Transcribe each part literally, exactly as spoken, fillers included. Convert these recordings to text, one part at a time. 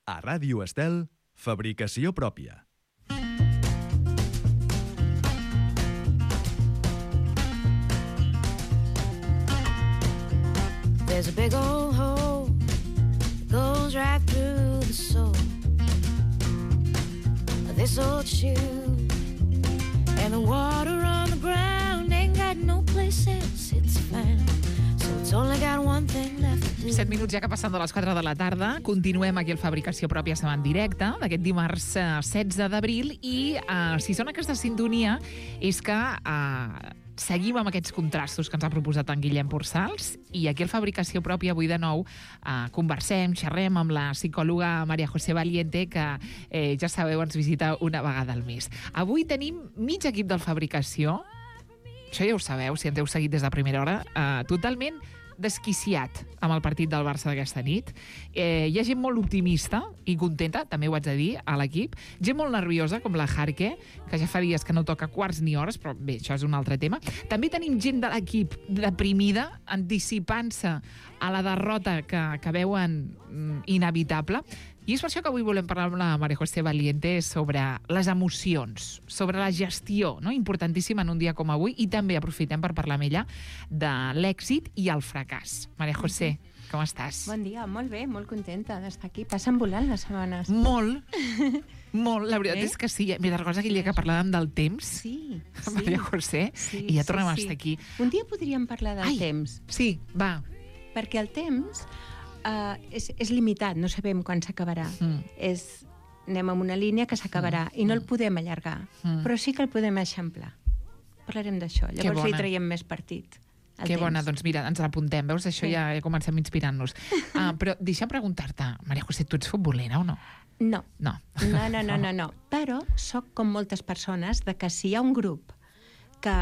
A Ràdio Estel, fabricació pròpia. There's a big old hole that goes right through the soul of this old shoe, and the water on the ground ain't got no place else it's found, so it's only got one thing left to do. set minuts ja que passen de les quatre de la tarda. Continuem aquí al Fabricació Pròpia, estem en directe d'aquest dimarts eh, setze d'abril i eh, si sona aquesta sintonia és que eh, seguim amb aquests contrastos que ens ha proposat en Guillem Porçals i aquí al Fabricació Pròpia avui de nou eh, conversem, xerrem amb la psicòloga María José Valiente que eh, ja sabeu ens visita una vegada al mes. Avui tenim mig equip del Fabricació, això ja ho sabeu si ens heu seguit des de primera hora, eh, totalment desquiciat amb el partit del Barça d'aquesta nit. Eh, hi ha gent molt optimista i contenta, també ho haig de dir, a l'equip. Gent molt nerviosa, com la Jarque, que ja fa dies que no toca quarts ni hores, però bé, això és un altre tema. També tenim gent de l'equip deprimida, anticipant-se a la derrota que, que veuen mm, inevitable. I és per això que avui volem parlar amb la María José Valiente sobre les emocions, sobre la gestió, no? Importantíssima en un dia com avui, i també aprofitem per parlar amb ella de l'èxit i el fracàs. María José, com estàs? Bon dia, molt bé, molt contenta d'estar aquí. Passen volant les setmanes. Molt, molt. La veritat eh? és que sí. Mira, recordes aquell dia que parlàvem del temps? Sí, sí. María José, sí, i ja sí, tornem sí. a estar aquí. Un dia podríem parlar del Ai, temps. Sí, va. Perquè el temps uh, és, és limitat, no sabem quan s'acabarà. Mm. És, anem amb una línia que s'acabarà mm. i no el podem allargar, mm. però sí que el podem eixamplar. Parlarem d'això, llavors li traiem més partit. Que temps. Bona, doncs mira, ens l'apuntem, veus? Això sí. ja, ja comencem inspirant-nos. Uh, però deixa'm preguntar-te, María José, tu ets futbolera o no? No. No. No, no, no, no, no. Però sóc com moltes persones de que si hi ha un grup que,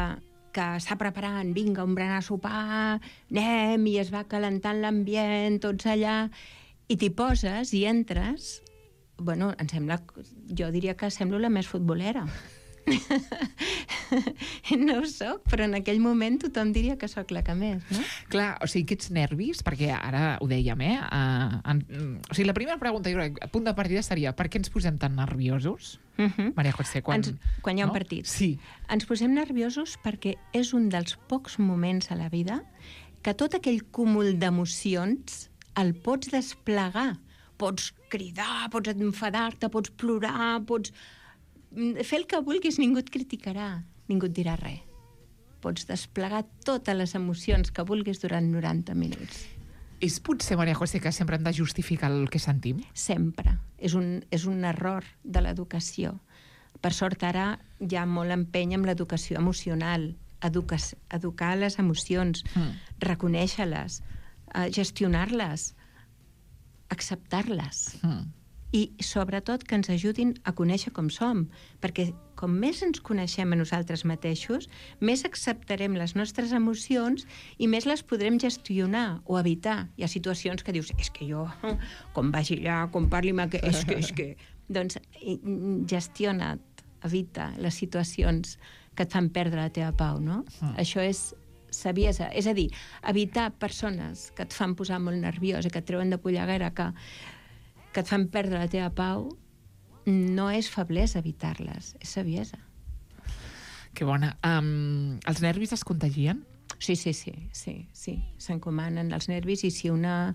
que està preparant, vinga, un berenar a sopar, anem, i es va calentant l'ambient, tots allà, i t'hi poses i entres, bueno, em sembla, jo diria que semblo la més futbolera. No ho soc, però en aquell moment tothom diria que sóc la que més, no? Clar, o sigui, aquests nervis, perquè ara ho dèiem, eh? Uh, en, o sigui, la primera pregunta, jo crec, a punt de partida seria per què ens posem tan nerviosos? Uh -huh. María José, quan... Ens, quan hi ha un no? partit. Sí. Ens posem nerviosos perquè és un dels pocs moments a la vida que tot aquell cúmul d'emocions el pots desplegar. Pots cridar, pots enfadar-te, pots plorar, pots... fer el que vulguis, ningú et criticarà, ningú et dirà res. Pots desplegar totes les emocions que vulguis durant noranta minuts. És potser, María José, que sempre hem de justificar el que sentim? Sempre. És un, és un error de l'educació. Per sort, ara hi ha molt empeny amb l'educació emocional, educa, educar les emocions, mm. reconèixer-les, uh, gestionar-les, acceptar-les. Mm. I sobretot que ens ajudin a conèixer com som, perquè com més ens coneixem a nosaltres mateixos, més acceptarem les nostres emocions i més les podrem gestionar o evitar. Hi ha situacions que dius, és que jo, com vagi allà, com parli amb aquest, és que, és que... Doncs gestiona't, evita les situacions que et fan perdre la teva pau, no? Mm. Això és saviesa, és a dir, evitar persones que et fan posar molt nerviosa, que et treuen de polleguera, que que et fan perdre la teva pau, no és feblesa evitar-les, és saviesa. Que bona. Um, els nervis es contagien? Sí, sí, sí, sí, sí. S'encomanen els nervis i si una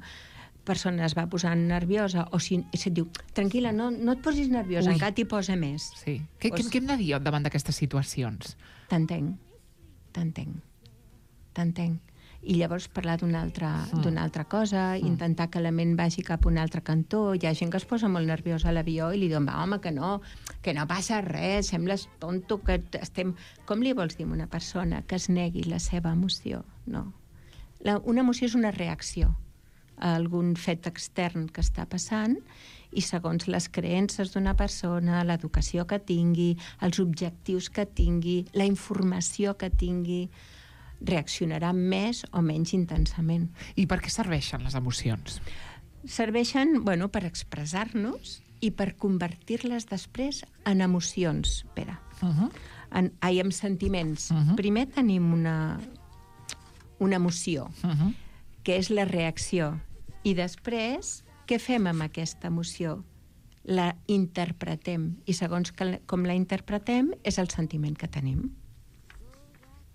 persona es va posant nerviosa o si se't diu, tranquil·la, no, no et posis nerviosa, Ui. encara t'hi posa més. Sí. Què, o... què, què hem de dir davant d'aquestes situacions? T'entenc, t'entenc, t'entenc. I llavors parlar d'una altra, mm. d'una altra cosa, mm. intentar que la ment vagi cap a un altre cantó. Hi ha gent que es posa molt nerviosa a l'avió i li diuen, va, home, que no, que no passa res, sembles tonto, que estem... Com li vols dir a una persona que es negui la seva emoció? No. La, una emoció és una reacció a algun fet extern que està passant i segons les creences d'una persona, l'educació que tingui, els objectius que tingui, la informació que tingui, reaccionarà més o menys intensament. I per què serveixen les emocions? Serveixen, bueno, per expressar-nos i per convertir-les després en emocions, Pere. Uh-huh. En, ai, en sentiments. Uh-huh. Primer tenim una, una emoció, uh-huh. que és la reacció. I després, què fem amb aquesta emoció? la interpretem, i segons que, com la interpretem és el sentiment que tenim.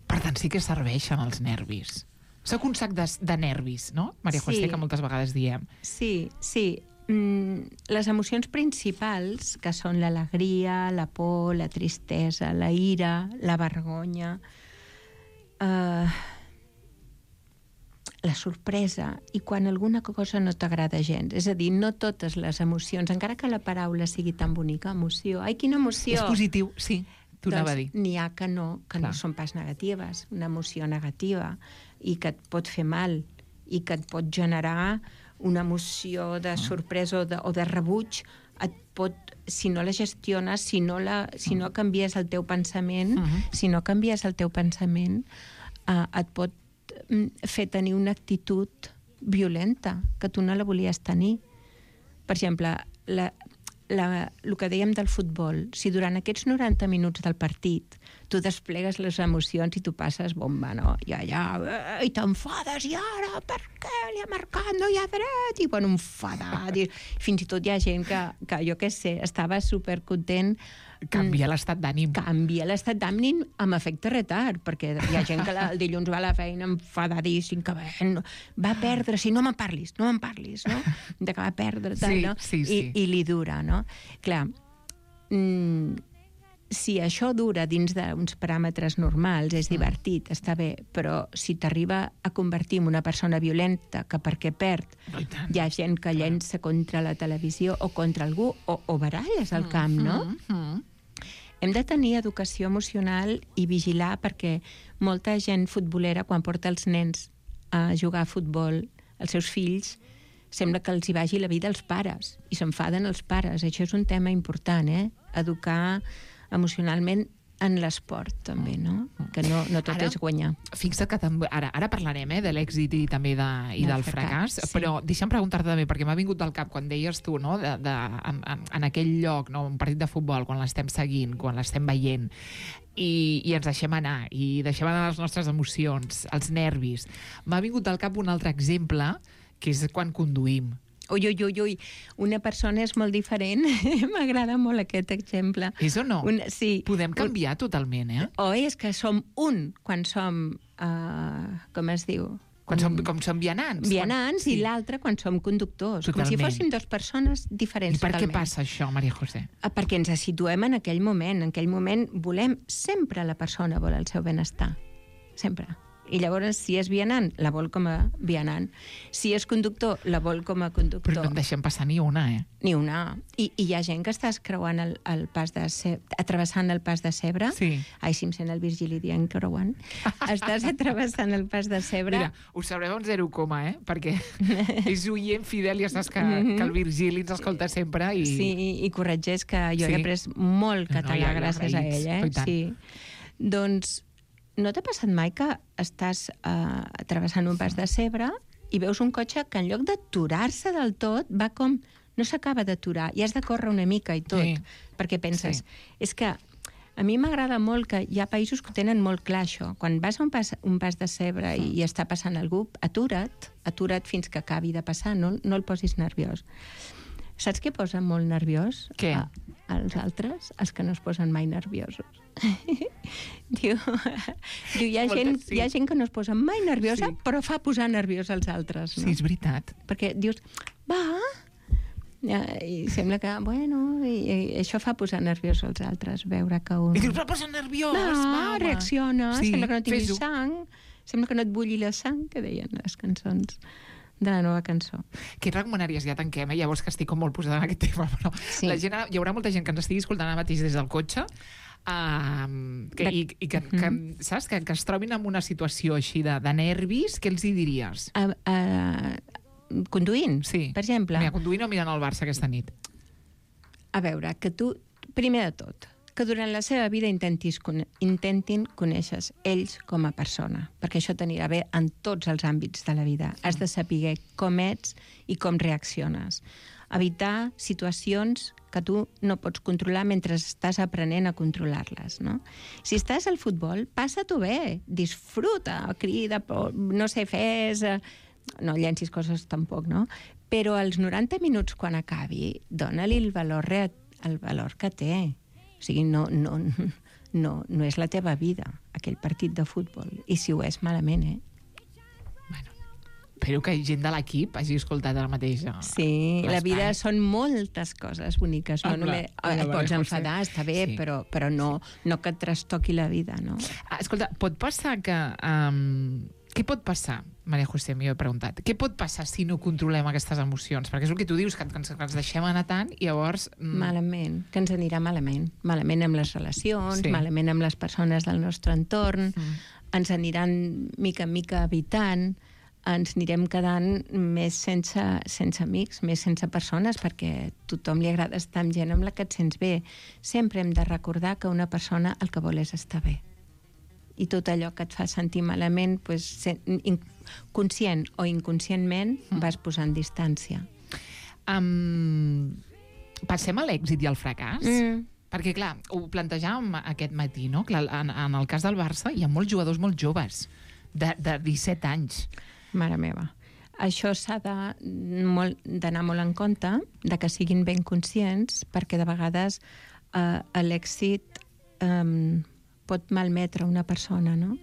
Per tant, sí que serveixen els nervis. Soc un sac de, de nervis, no? Maria José, Sí. que moltes vegades diem. Sí, sí. Mm, les emocions principals, que són l'alegria, la por, la tristesa, la ira, la vergonya, eh, la sorpresa, i quan alguna cosa no t'agrada gens. És a dir, no totes les emocions, encara que la paraula sigui tan bonica, emoció. Ai, quina emoció! És positiu, sí, t'ho Doncs anava a dir. n'hi ha que no, que Clar. no són pas negatives. Una emoció negativa i que et pot fer mal i que et pot generar una emoció de sorpresa o de, o de rebuig, et pot, si no la gestiones, si no, la, si no canvies el teu pensament, Mhm. si no canvies el teu pensament, eh, et pot mm, fer tenir una actitud violenta, que tu no la volies tenir. Per exemple, la, la, el que dèiem del futbol, si durant aquests noranta minuts del partit tu desplegues les emocions i tu passes bomba, no? I allà, i t'enfades, i ara, per què li ha marcat, no hi ha dret? I, bueno, enfadat. I fins i tot hi ha gent que, que jo què sé, estava supercontent. Canvia l'estat d'ànim. Canvia l'estat d'ànim amb efecte retard, perquè hi ha gent que la, el dilluns va a la feina enfadadíssim, que va, no, va perdre, si no me'n parlis, no me'n parlis, no? De que va perdre, tal, Sí, no? sí, sí. I, I li dura, no? Clar, mm, si això dura dins d'uns paràmetres normals, és divertit, està bé, però si t'arriba a convertir en una persona violenta que perquè perd No, i tant. hi ha gent que llença contra la televisió o contra algú, o, o baralles al camp, no? Mhm. Hem de tenir educació emocional i vigilar, perquè molta gent futbolera, quan porta els nens a jugar a futbol, els seus fills, sembla que els hi vagi la vida als pares, i s'enfaden els pares. Això és un tema important, eh? Educar emocionalment en l'esport, també, no? Que no, no tot Ara- és guanyar. Fixa't que també, ara, ara parlarem eh, de l'èxit i també de, i Del del fracàs, fracàs, sí. però deixa'm preguntar-te també, perquè m'ha vingut del cap quan deies tu, no, de, de, en, en, en aquell lloc, no, un partit de futbol, quan l'estem seguint, quan l'estem veient, i, i ens deixem anar, i deixem anar les nostres emocions, els nervis. M'ha vingut del cap un altre exemple, que és quan conduïm. Ui, ui, ui, ui, una persona és molt diferent. M'agrada molt aquest exemple. És o no? Un, sí. Podem canviar totalment, eh? O és que som un quan som, uh, com es diu? Quan som, com som vianants. Vianants, quan... i l'altre quan som conductors. Com si Totalment. fóssim dues persones diferents. I per què totalment. passa això, Maria José? Ah, perquè ens situem en aquell moment. En aquell moment volem, sempre la persona vol el seu benestar. Sempre. I llavors, si és vianant, la vol com a vianant. Si és conductor, la vol com a conductor. Però no en deixem passar ni una, eh? Ni una. I, I hi ha gent que estàs creuant el, el pas de cebre, travessant el pas de cebre. Sí. Ai, si em sent el Virgili dient creuant. Estàs travessant el pas de cebre. Mira, ho sabrem un zero coma, eh? Perquè és oient fidel i ja saps que, que el Virgili ens escolta sempre i... Sí, i, i corregeix, que jo Sí. he après molt No, català ja, ja, gràcies a agraïts. ell. Eh? Oh, i tant. Sí. Doncs no t'ha passat mai que estàs uh, travessant un pas de cebre i veus un cotxe que en lloc d'aturar-se del tot va com... no s'acaba d'aturar i has de córrer una mica i tot, Sí. perquè penses... Sí. És que a mi m'agrada molt que hi ha països que ho tenen molt clar, això. Quan vas a un pas, un pas de cebre i, i està passant algú, atura't, atura't fins que acabi de passar, no, no el posis nerviós. Saps què posa molt nerviós? Què? A, als altres? Els que no es posen mai nerviosos. diu, diu hi, ha Moltes, gent, sí. hi ha gent que no es posa mai nerviosa, Sí. però fa posar nerviós als altres. No? Sí, és veritat. Perquè dius, va, ja, i sembla que, bueno, i, i això fa posar nerviós als altres, veure que un... I dius, però posa nerviós, va, va, home. reacciona, Sí, sembla que no tinguis fes-ho. sang, sembla que no et bulli la sang, que deien les cançons de la nova cançó. Què et recomanaries? Ja tanquem, eh? Llavors que estic com molt posada en aquest tema, però Sí. la gent, hi haurà molta gent que ens estigui escoltant ara mateix des del cotxe, uh, que, De- i, i que, que, saps? Que, que es trobin en una situació així de, de nervis, què els hi diries? A, a, conduint, Sí. per exemple. Mira, conduint o mirant el Barça aquesta nit. A veure, que tu, primer de tot, que durant la seva vida intentis, intentin conèixer ells com a persona, perquè això t'anirà bé en tots els àmbits de la vida. Has de saber com ets i com reacciones. Evitar situacions que tu no pots controlar mentre estàs aprenent a controlar-les, no? Si estàs al futbol, passa-t'ho bé, disfruta, crida, no sé, fes... No llencis coses tampoc, no? però als noranta minuts, quan acabi, dona-li el valor, rea- el valor que té. O sigui, no, no, no, no és la teva vida, aquell partit de futbol. I si ho és, malament, eh? Espero que gent de l'equip hagi escoltat ara mateix. Sí, la vida són moltes coses boniques. No Ah, clar. només, Ah, et vale, pots pot enfadar, ser. està bé, Sí. però, però no, no que et trastoqui la vida, no? Ah, escolta, pot passar que... Um, què pot passar, Maria José, m'hi he preguntat, què pot passar si no controlem aquestes emocions? Perquè és el que tu dius, que ens, que ens deixem anar tant i llavors... Mm, Malament, que ens anirà malament. Malament amb les relacions, Sí. malament amb les persones del nostre entorn, Mm. ens aniran mica en mica evitant, ens anirem quedant més sense, sense amics, més sense persones, perquè a tothom li agrada estar amb gent amb la que et sents bé. Sempre hem de recordar que una persona el que vol és estar bé. I tot allò que et fa sentir malament, pues, sen- in- conscient o inconscientment, vas posant distància. Um, passem a l'èxit i al fracàs? Mm. Perquè, clar, ho plantejàvem aquest matí, no? Clar, en, en el cas del Barça hi ha molts jugadors molt joves, de, de disset anys. Mare meva. Això s'ha de molt- d'anar molt en compte, de que siguin ben conscients, perquè de vegades eh, l'èxit eh, pot malmetre una persona, no?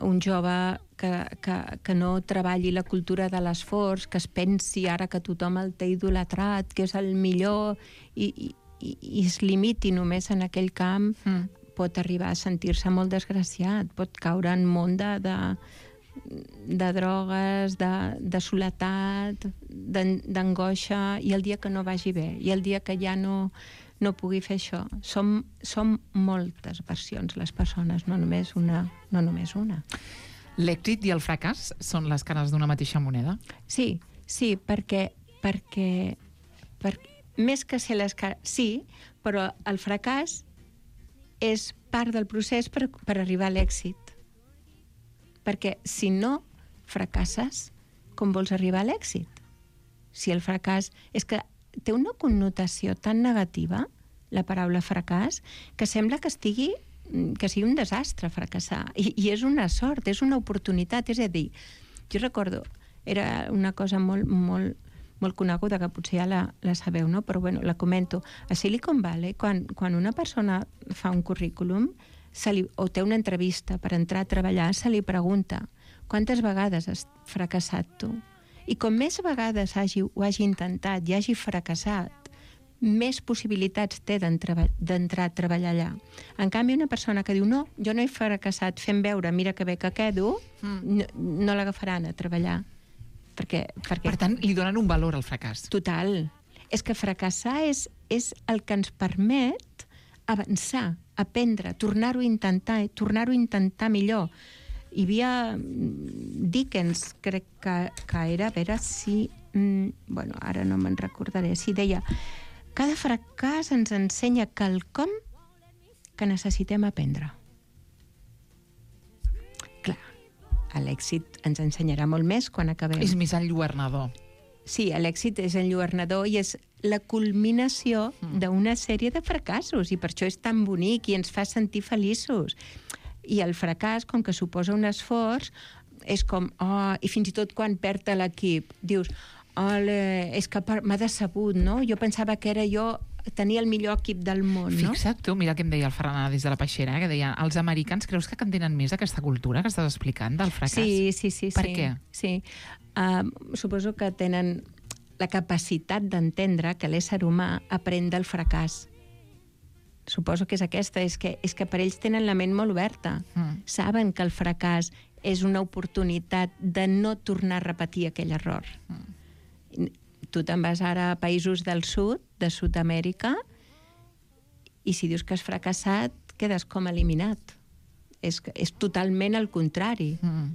Un jove que, que, que no treballi la cultura de l'esforç, que es pensi ara que tothom el té idolatrat, que és el millor, i, i, i es limiti només en aquell camp, Mm. pot arribar a sentir-se molt desgraciat, pot caure en un món de, de, de drogues, de, de soledat, d'an- d'angoixa, i el dia que no vagi bé, i el dia que ja no, no pugui fer això. Som, som moltes versions, les persones, no només una. No només una. L'èxit i el fracàs són les cares d'una mateixa moneda? Sí, sí, perquè, perquè, perquè més que ser les cares... Sí, però el fracàs és part del procés per, per arribar a l'èxit. Perquè si no fracasses, com vols arribar a l'èxit? Si el fracàs... És que té una connotació tan negativa, la paraula fracàs, que sembla que estigui que sigui un desastre fracassar. I, i és una sort, és una oportunitat. És a dir, jo recordo, era una cosa molt, molt, molt coneguda, que potser ja la, la sabeu, no? Però bueno, la comento. A Silicon Valley, quan, quan una persona fa un currículum se li, o té una entrevista per entrar a treballar, se li pregunta quantes vegades has fracassat tu? I com més vegades hagi, ho hagi intentat i hagi fracassat, més possibilitats té d'entrar a treballar allà. En canvi, una persona que diu no, jo no he fracassat, fent veure, mira que bé que quedo, mm. no, no l'agafaran a treballar. Perquè, perquè... Per tant, li donen un valor al fracàs. Total. És que fracassar és, és el que ens permet avançar, aprendre, tornar-ho a intentar, tornar-ho a intentar millor. Hi havia Dickens, crec que, que era, a veure si... Mm, bueno, ara no me'n recordaré, si deia cada fracàs ens ensenya quelcom que necessitem aprendre. Clar, l'èxit ens ensenyarà molt més quan acabem. És més enlluernador. Sí, l'èxit és enlluernador i és la culminació d'una sèrie de fracassos, i per això és tan bonic i ens fa sentir feliços. I el fracàs, com que suposa un esforç, és com, oh, i fins i tot quan perd l'equip, dius, ole, és que m'ha decebut, no? Jo pensava que era jo, tenia el millor equip del món, no? Fixa't tu, mira què em deia el Ferran des de la Peixera, eh, que deia, els americans creus que entenen més aquesta cultura que estàs explicant del fracàs? Sí, sí, sí. Per sí. què? Sí. Uh, suposo que tenen la capacitat d'entendre que l'ésser humà aprèn del fracàs. Suposo que és aquesta, és que, és que per ells tenen la ment molt oberta. Mm. Saben que el fracàs és una oportunitat de no tornar a repetir aquell error. Mm. Tu te'n vas ara a països del sud, de Sud-amèrica, i si dius que has fracassat, quedes com eliminat. És, és totalment el contrari. Mm.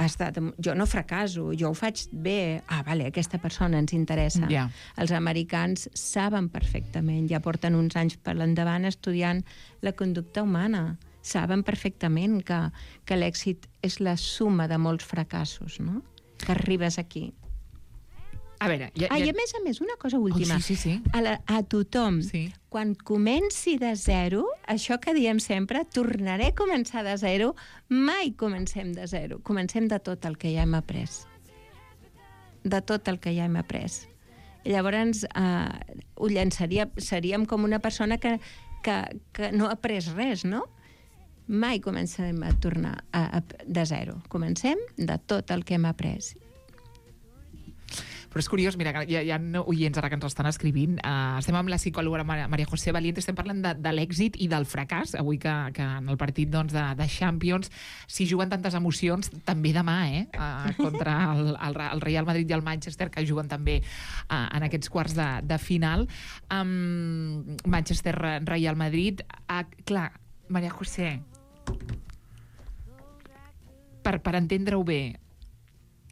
Has estat, jo no fracasso, jo ho faig bé. Ah, vale, aquesta persona ens interessa. Ja. Els americans saben perfectament, ja porten uns anys per l'endavant estudiant la conducta humana. Saben perfectament que, que l'èxit és la suma de molts fracassos, no? Que arribes aquí. A veure... Ja, Ah, ja... i a més a més, una cosa última. Oh, sí, sí, sí. A, la, a tothom, Sí. quan comenci de zero, això que diem sempre, tornaré a començar de zero, mai comencem de zero. Comencem de tot el que ja hem après. de tot el que ja hem après. I llavors eh, ho llançaria, seríem com una persona que, que, que no ha après res, no? Mai comencem a tornar a, a, de zero. Comencem de tot el que hem après. Però és curiós, mira, hi ha, hi ha oients ara que ens estan escrivint. Uh, estem amb la psicòloga Maria José Valiente, estem parlant de, de l'èxit i del fracàs. Avui que, que en el partit doncs, de, de Champions s'hi juguen tantes emocions, també demà, eh? Uh, contra el, el, el Real Madrid i el Manchester, que juguen també uh, en aquests quarts de, de final. Um, Manchester-Real Madrid. Uh, clar, Maria José, per, per entendre-ho bé,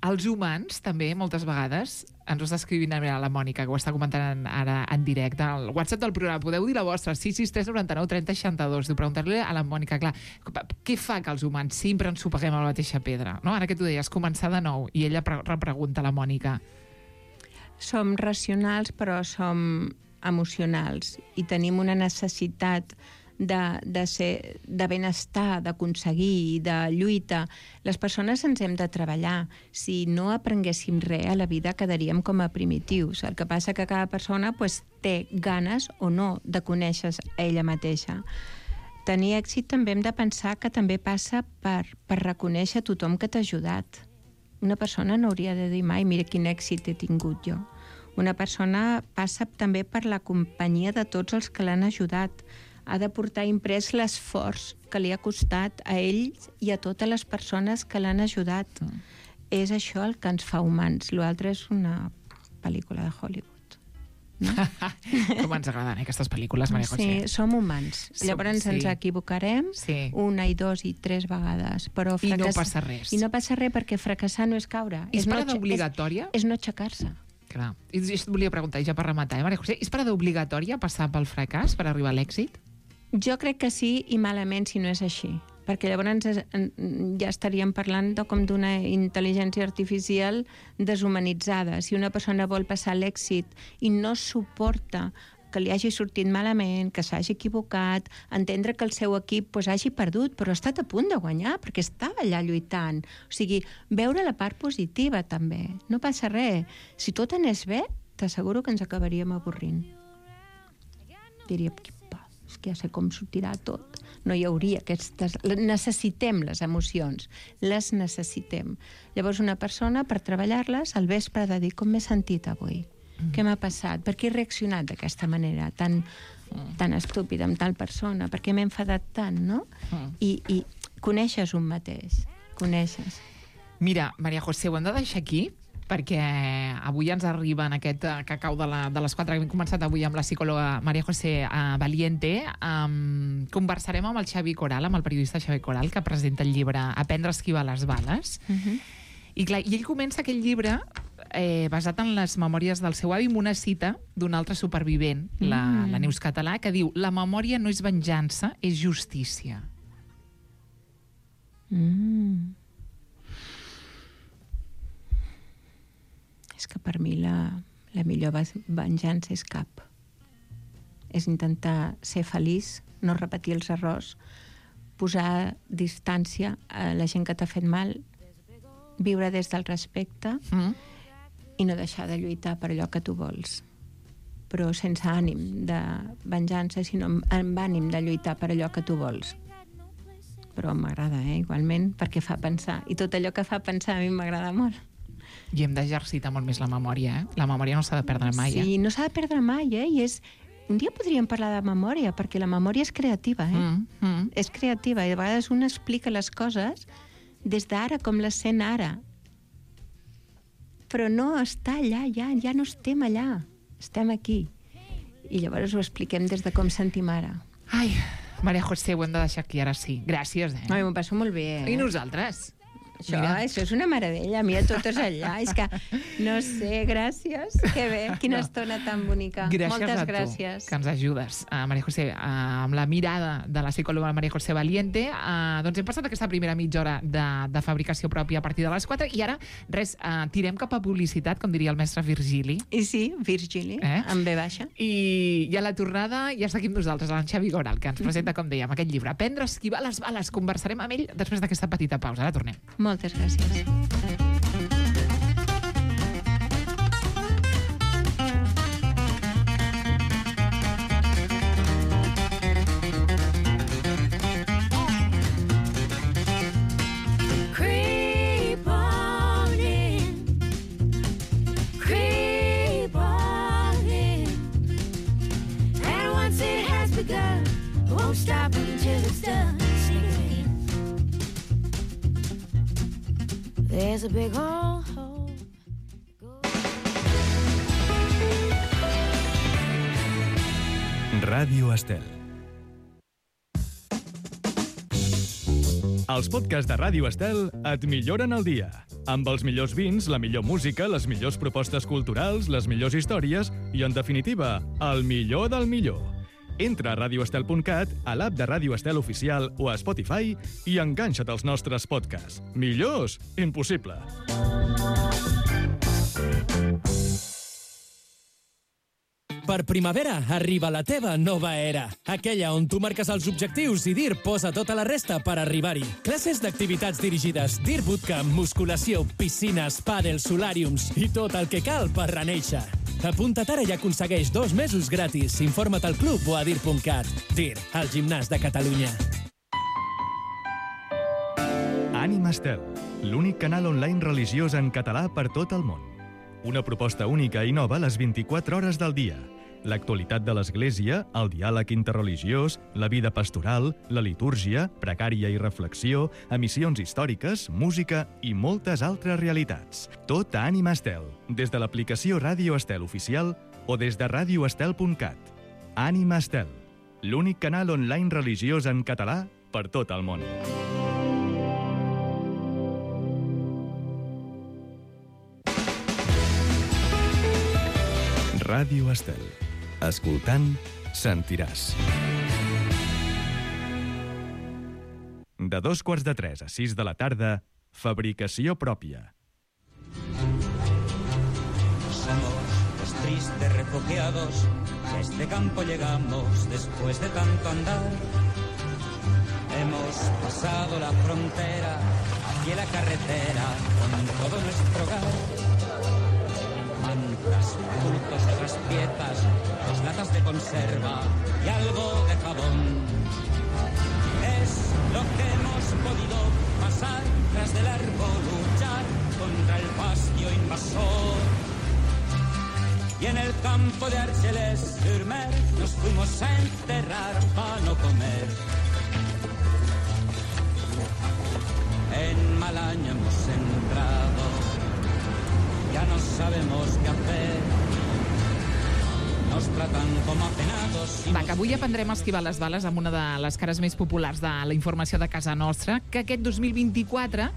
els humans, també, moltes vegades, ens ho està escrivint a la Mònica, que ho està comentant ara en directe. Al WhatsApp del programa, podeu dir la vostra, sis sis tres noranta nou trenta seixanta dos. Diu, preguntar-li a la Mònica, clar, què fa que els humans sempre ens sopeguem a la mateixa pedra? No? Ara que tu deies, començar de nou, i ella repregunta a la Mònica. Som racionals, però som emocionals, i tenim una necessitat de, de, ser, de benestar, d'aconseguir, de lluita. Les persones ens hem de treballar. Si no aprenguéssim res a la vida, quedaríem com a primitius. El que passa que cada persona pues, té ganes o no de conèixer a ella mateixa. Tenir èxit també hem de pensar que també passa per, per reconèixer tothom que t'ha ajudat. Una persona no hauria de dir mai, mira quin èxit he tingut jo. Una persona passa també per la companyia de tots els que l'han ajudat. Ha de portar imprès l'esforç que li ha costat a ells i a totes les persones que l'han ajudat. Mm. És això el que ens fa humans. L'altre és una pel·lícula de Hollywood. No? Com ens agraden, eh, aquestes pel·lícules, Maria José? Sí, som humans. Som, Llavors sí. ens equivocarem sí. una i dos i tres vegades. Però fracass... I no passa res. I no passa res perquè fracassar no és caure. És, és no parada obligatòria? És, és no aixecar-se. Clar. I et volia preguntar, ja per rematar, eh, Maria José, és parada obligatòria passar pel fracàs per arribar a l'èxit? Jo crec que sí, i malament si no és així. Perquè llavors ja estaríem parlant de com d'una intel·ligència artificial deshumanitzada. Si una persona vol passar l'èxit i no suporta que li hagi sortit malament, que s'hagi equivocat, entendre que el seu equip pues, hagi perdut, però ha estat a punt de guanyar, perquè estava allà lluitant. O sigui, veure la part positiva també. No passa res. Si tot anés bé, t'asseguro que ens acabaríem avorrint. Diríem, és que ja sé com sortirà tot. No hi hauria aquestes... Necessitem les emocions, les necessitem. Llavors una persona, per treballar-les, al vespre ha de dir com m'he sentit avui, mm. què m'ha passat, per què he reaccionat d'aquesta manera tan, mm. tan estúpida amb tal persona, per què m'he enfadat tant, no? Mm. I, I coneixes un mateix, coneixes. Mira, Maria José, ho hem de deixar aquí, perquè avui ens arriba en aquest cacau de, la, de les quatre que hem començat avui amb la psicòloga Maria José uh, Valiente. Um, conversarem amb el Xavi Coral, amb el periodista Xavi Coral, que presenta el llibre Aprendre a esquivar les bales. Uh-huh. I, clar, I ell comença aquell llibre eh, basat en les memòries del seu avi amb una cita d'un altre supervivent, mm. la, la Neus Català, que diu: la memòria no és venjança, és justícia. Mm. És que per mi la, la millor venjança és cap. És intentar ser feliç, no repetir els errors, posar distància a la gent que t'ha fet mal, viure des del respecte mm. i no deixar de lluitar per allò que tu vols. Però sense ànim de venjança, sinó amb ànim de lluitar per allò que tu vols. Però m'agrada, eh, igualment, perquè fa pensar. I tot allò que fa pensar a mi m'agrada molt. I hem d'exercitar molt més la memòria, eh? La memòria no s'ha de perdre mai, eh? Sí, no s'ha de perdre mai, eh? I és... Un dia podríem parlar de memòria, perquè la memòria és creativa, eh? Mm, mm. És creativa, i a vegades un explica les coses des d'ara, com les sent ara. Però no està allà, ja, ja no estem allà. Estem aquí. I llavors ho expliquem des de com sentim ara. Ai, Maria José, ho hem de deixar aquí, ara sí. Gràcies, eh? Ai, m'ho passo molt bé, eh? I nosaltres? Això, això és una meravella, mira, tot és allà. És que, no sé, gràcies. Que bé, quina no. estona tan bonica. Gràcies Moltes a tu, gràcies. que ens ajudes, uh, Maria José, uh, amb la mirada de la psicòloga Maria José Valiente. Uh, doncs hem passat aquesta primera mitja hora de, de fabricació pròpia a partir de les quatre, i ara, res, uh, tirem cap a publicitat, com diria el mestre Virgili. I sí, Virgili, eh? amb ve baixa. I, I a la tornada ja està aquí amb nosaltres, en Xavi Coral, que ens presenta, com dèiem, aquest llibre, Aprendre a esquivar les bales. Conversarem amb ell després d'aquesta petita pausa. Ara tornem. Moltes gràcies. begun. Won't stop until it's done. Sing it again. There's a big old hole. Ràdio Estel. Els podcasts de Ràdio Estel et milloren el dia. Amb els millors vins, la millor música, les millors propostes culturals, les millors històries i, en definitiva, el millor del millor. Entra a radio estel punt cat, a l'app de Ràdio Estel Oficial o a Spotify i enganxa't als nostres podcasts. Millors? Impossible. Per primavera arriba la teva nova era. Aquella on tu marques els objectius i Dir posa tota la resta per arribar-hi. Classes d'activitats dirigides, Dir Bootcamp, musculació, piscines, pàdel, solàriums i tot el que cal per renéixer. Apunta't ara i aconsegueix dos mesos gratis. Informa't al club o a dir punt cat. Dir, el gimnàs de Catalunya. Ànima Estel, l'únic canal online religiós en català per tot el món. Una proposta única i nova a les vint-i-quatre hores del dia. L'actualitat de l'Església, el diàleg interreligiós, la vida pastoral, la litúrgia, pregària i reflexió, emissions històriques, música i moltes altres realitats. Tot a Ànima Estel, des de l'aplicació Ràdio Estel Oficial o des de radio estel punt cat. Ànima Estel, l'únic canal online religiós en català per tot el món. Ràdio Estel. Escoltant, sentiràs. De dos quarts de tres a sis de la tarda, fabricació pròpia. Somos los tristes refugiados que a este campo llegamos después de tanto andar. Hemos pasado la frontera, aquí la carretera, con todo nuestro hogar. Mantas, bultos de las piezas, dos latas de conserva y algo de jabón. Es lo que hemos podido pasar tras de largo luchar contra el fascio invasor. Y en el campo de Argelès-sur-Mer nos fuimos a enterrar para no comer. En mal año hemos entrado, ya no sabemos qué hacer. Nos tratan com a penados. Va, que avui aprendrem a esquivar les bales amb una de les cares més populars de la informació de casa nostra, que aquest dos mil vint-i-quatre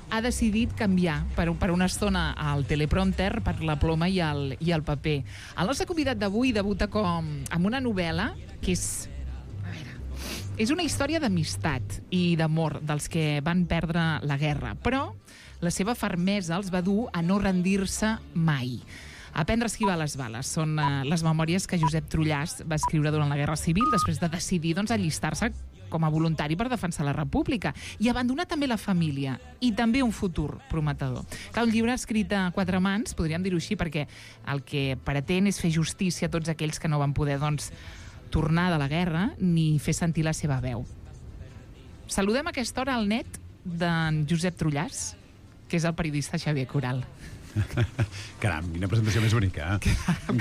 ha decidit canviar per, per una estona el teleprompter per la ploma i el, i el paper. El nostre convidat d'avui debuta com amb una novel·la que és... A veure, és una història d'amistat i d'amor dels que van perdre la guerra, però la seva fermesa els va dur a no rendir-se mai. Aprendre a esquivar les bales són uh, les memòries que Josep Trullàs va escriure durant la Guerra Civil després de decidir doncs, allistar-se com a voluntari per defensar la República i abandonar també la família i també un futur prometedor. Clar, un llibre escrit a quatre mans, podríem dir-ho així, perquè el que pretén és fer justícia a tots aquells que no van poder doncs, tornar de la guerra ni fer sentir la seva veu. Saludem a aquesta hora al net d'en Josep Trullàs, que és el periodista Xavier Coral. Caram, quina presentació més bonica. Eh?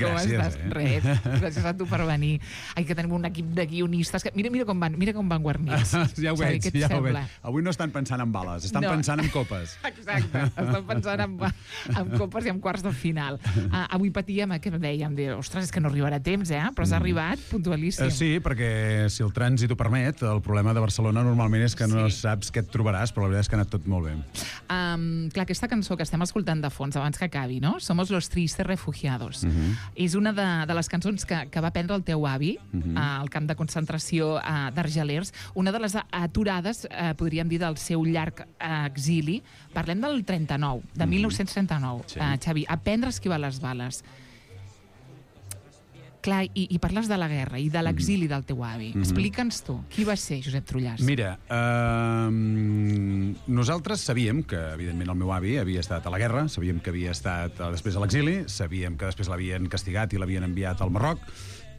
Gràcies, estàs? eh? Res, gràcies a tu per venir. Ai, que tenim un equip de guionistes. Que... Mira, mira com van, mira com van guarnits. Ja ho Xavi, veig, què et ja ho sembla? veig. Avui no estan pensant en bales, estan No. pensant en copes. Exacte, estan pensant en, en copes i en quarts de final. Uh, avui patíem, eh, que dèiem, de, ostres, és que no arribarà a temps, eh? Però has arribat puntualíssim. Eh, sí, perquè si el trànsit ho permet, el problema de Barcelona normalment és que no Sí. saps què et trobaràs, però la veritat és que ha anat tot molt bé. Um, clar, aquesta cançó que estem escoltant de fons abans que acabi, no? Somos los tristes refugiados. Uh -huh. És una de, de les cançons que, que va prendre el teu avi uh -huh. uh, al camp de concentració uh, d'Argelers, una de les aturades, uh, podríem dir, del seu llarg uh, exili. Parlem del trenta-nou, de uh -huh. mil nou-cents trenta-nou, sí. uh, Xavi. Aprendre a esquivar les bales. Clar, i, i parles de la guerra i de l'exili del teu avi. Mm-hmm. Explica'ns tu, qui va ser Josep Trullàs? Mira, eh, nosaltres sabíem que, evidentment, el meu avi havia estat a la guerra, sabíem que havia estat eh, després a l'exili, sabíem que després l'havien castigat i l'havien enviat al Marroc.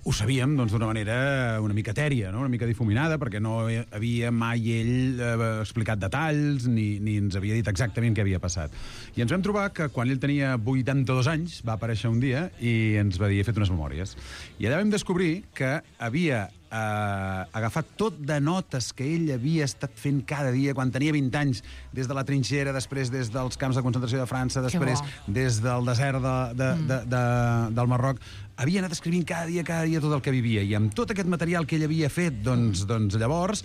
Ho sabíem, doncs, d'una manera una mica etèria, no? Una mica difuminada, perquè no havia mai ell eh, explicat detalls ni, ni ens havia dit exactament què havia passat. I ens vam trobar que quan ell tenia vuitanta-dos anys va aparèixer un dia i ens va dir, he fet unes memòries. I allà vam descobrir que havia eh, agafar tot de notes que ell havia estat fent cada dia quan tenia vint anys, des de la trinxera, després des dels camps de concentració de França, després des del desert de, de, mm. de, de, del Marroc. Havia anat escrivint cada dia, cada dia tot el que vivia, i amb tot aquest material que ell havia fet, doncs, doncs llavors,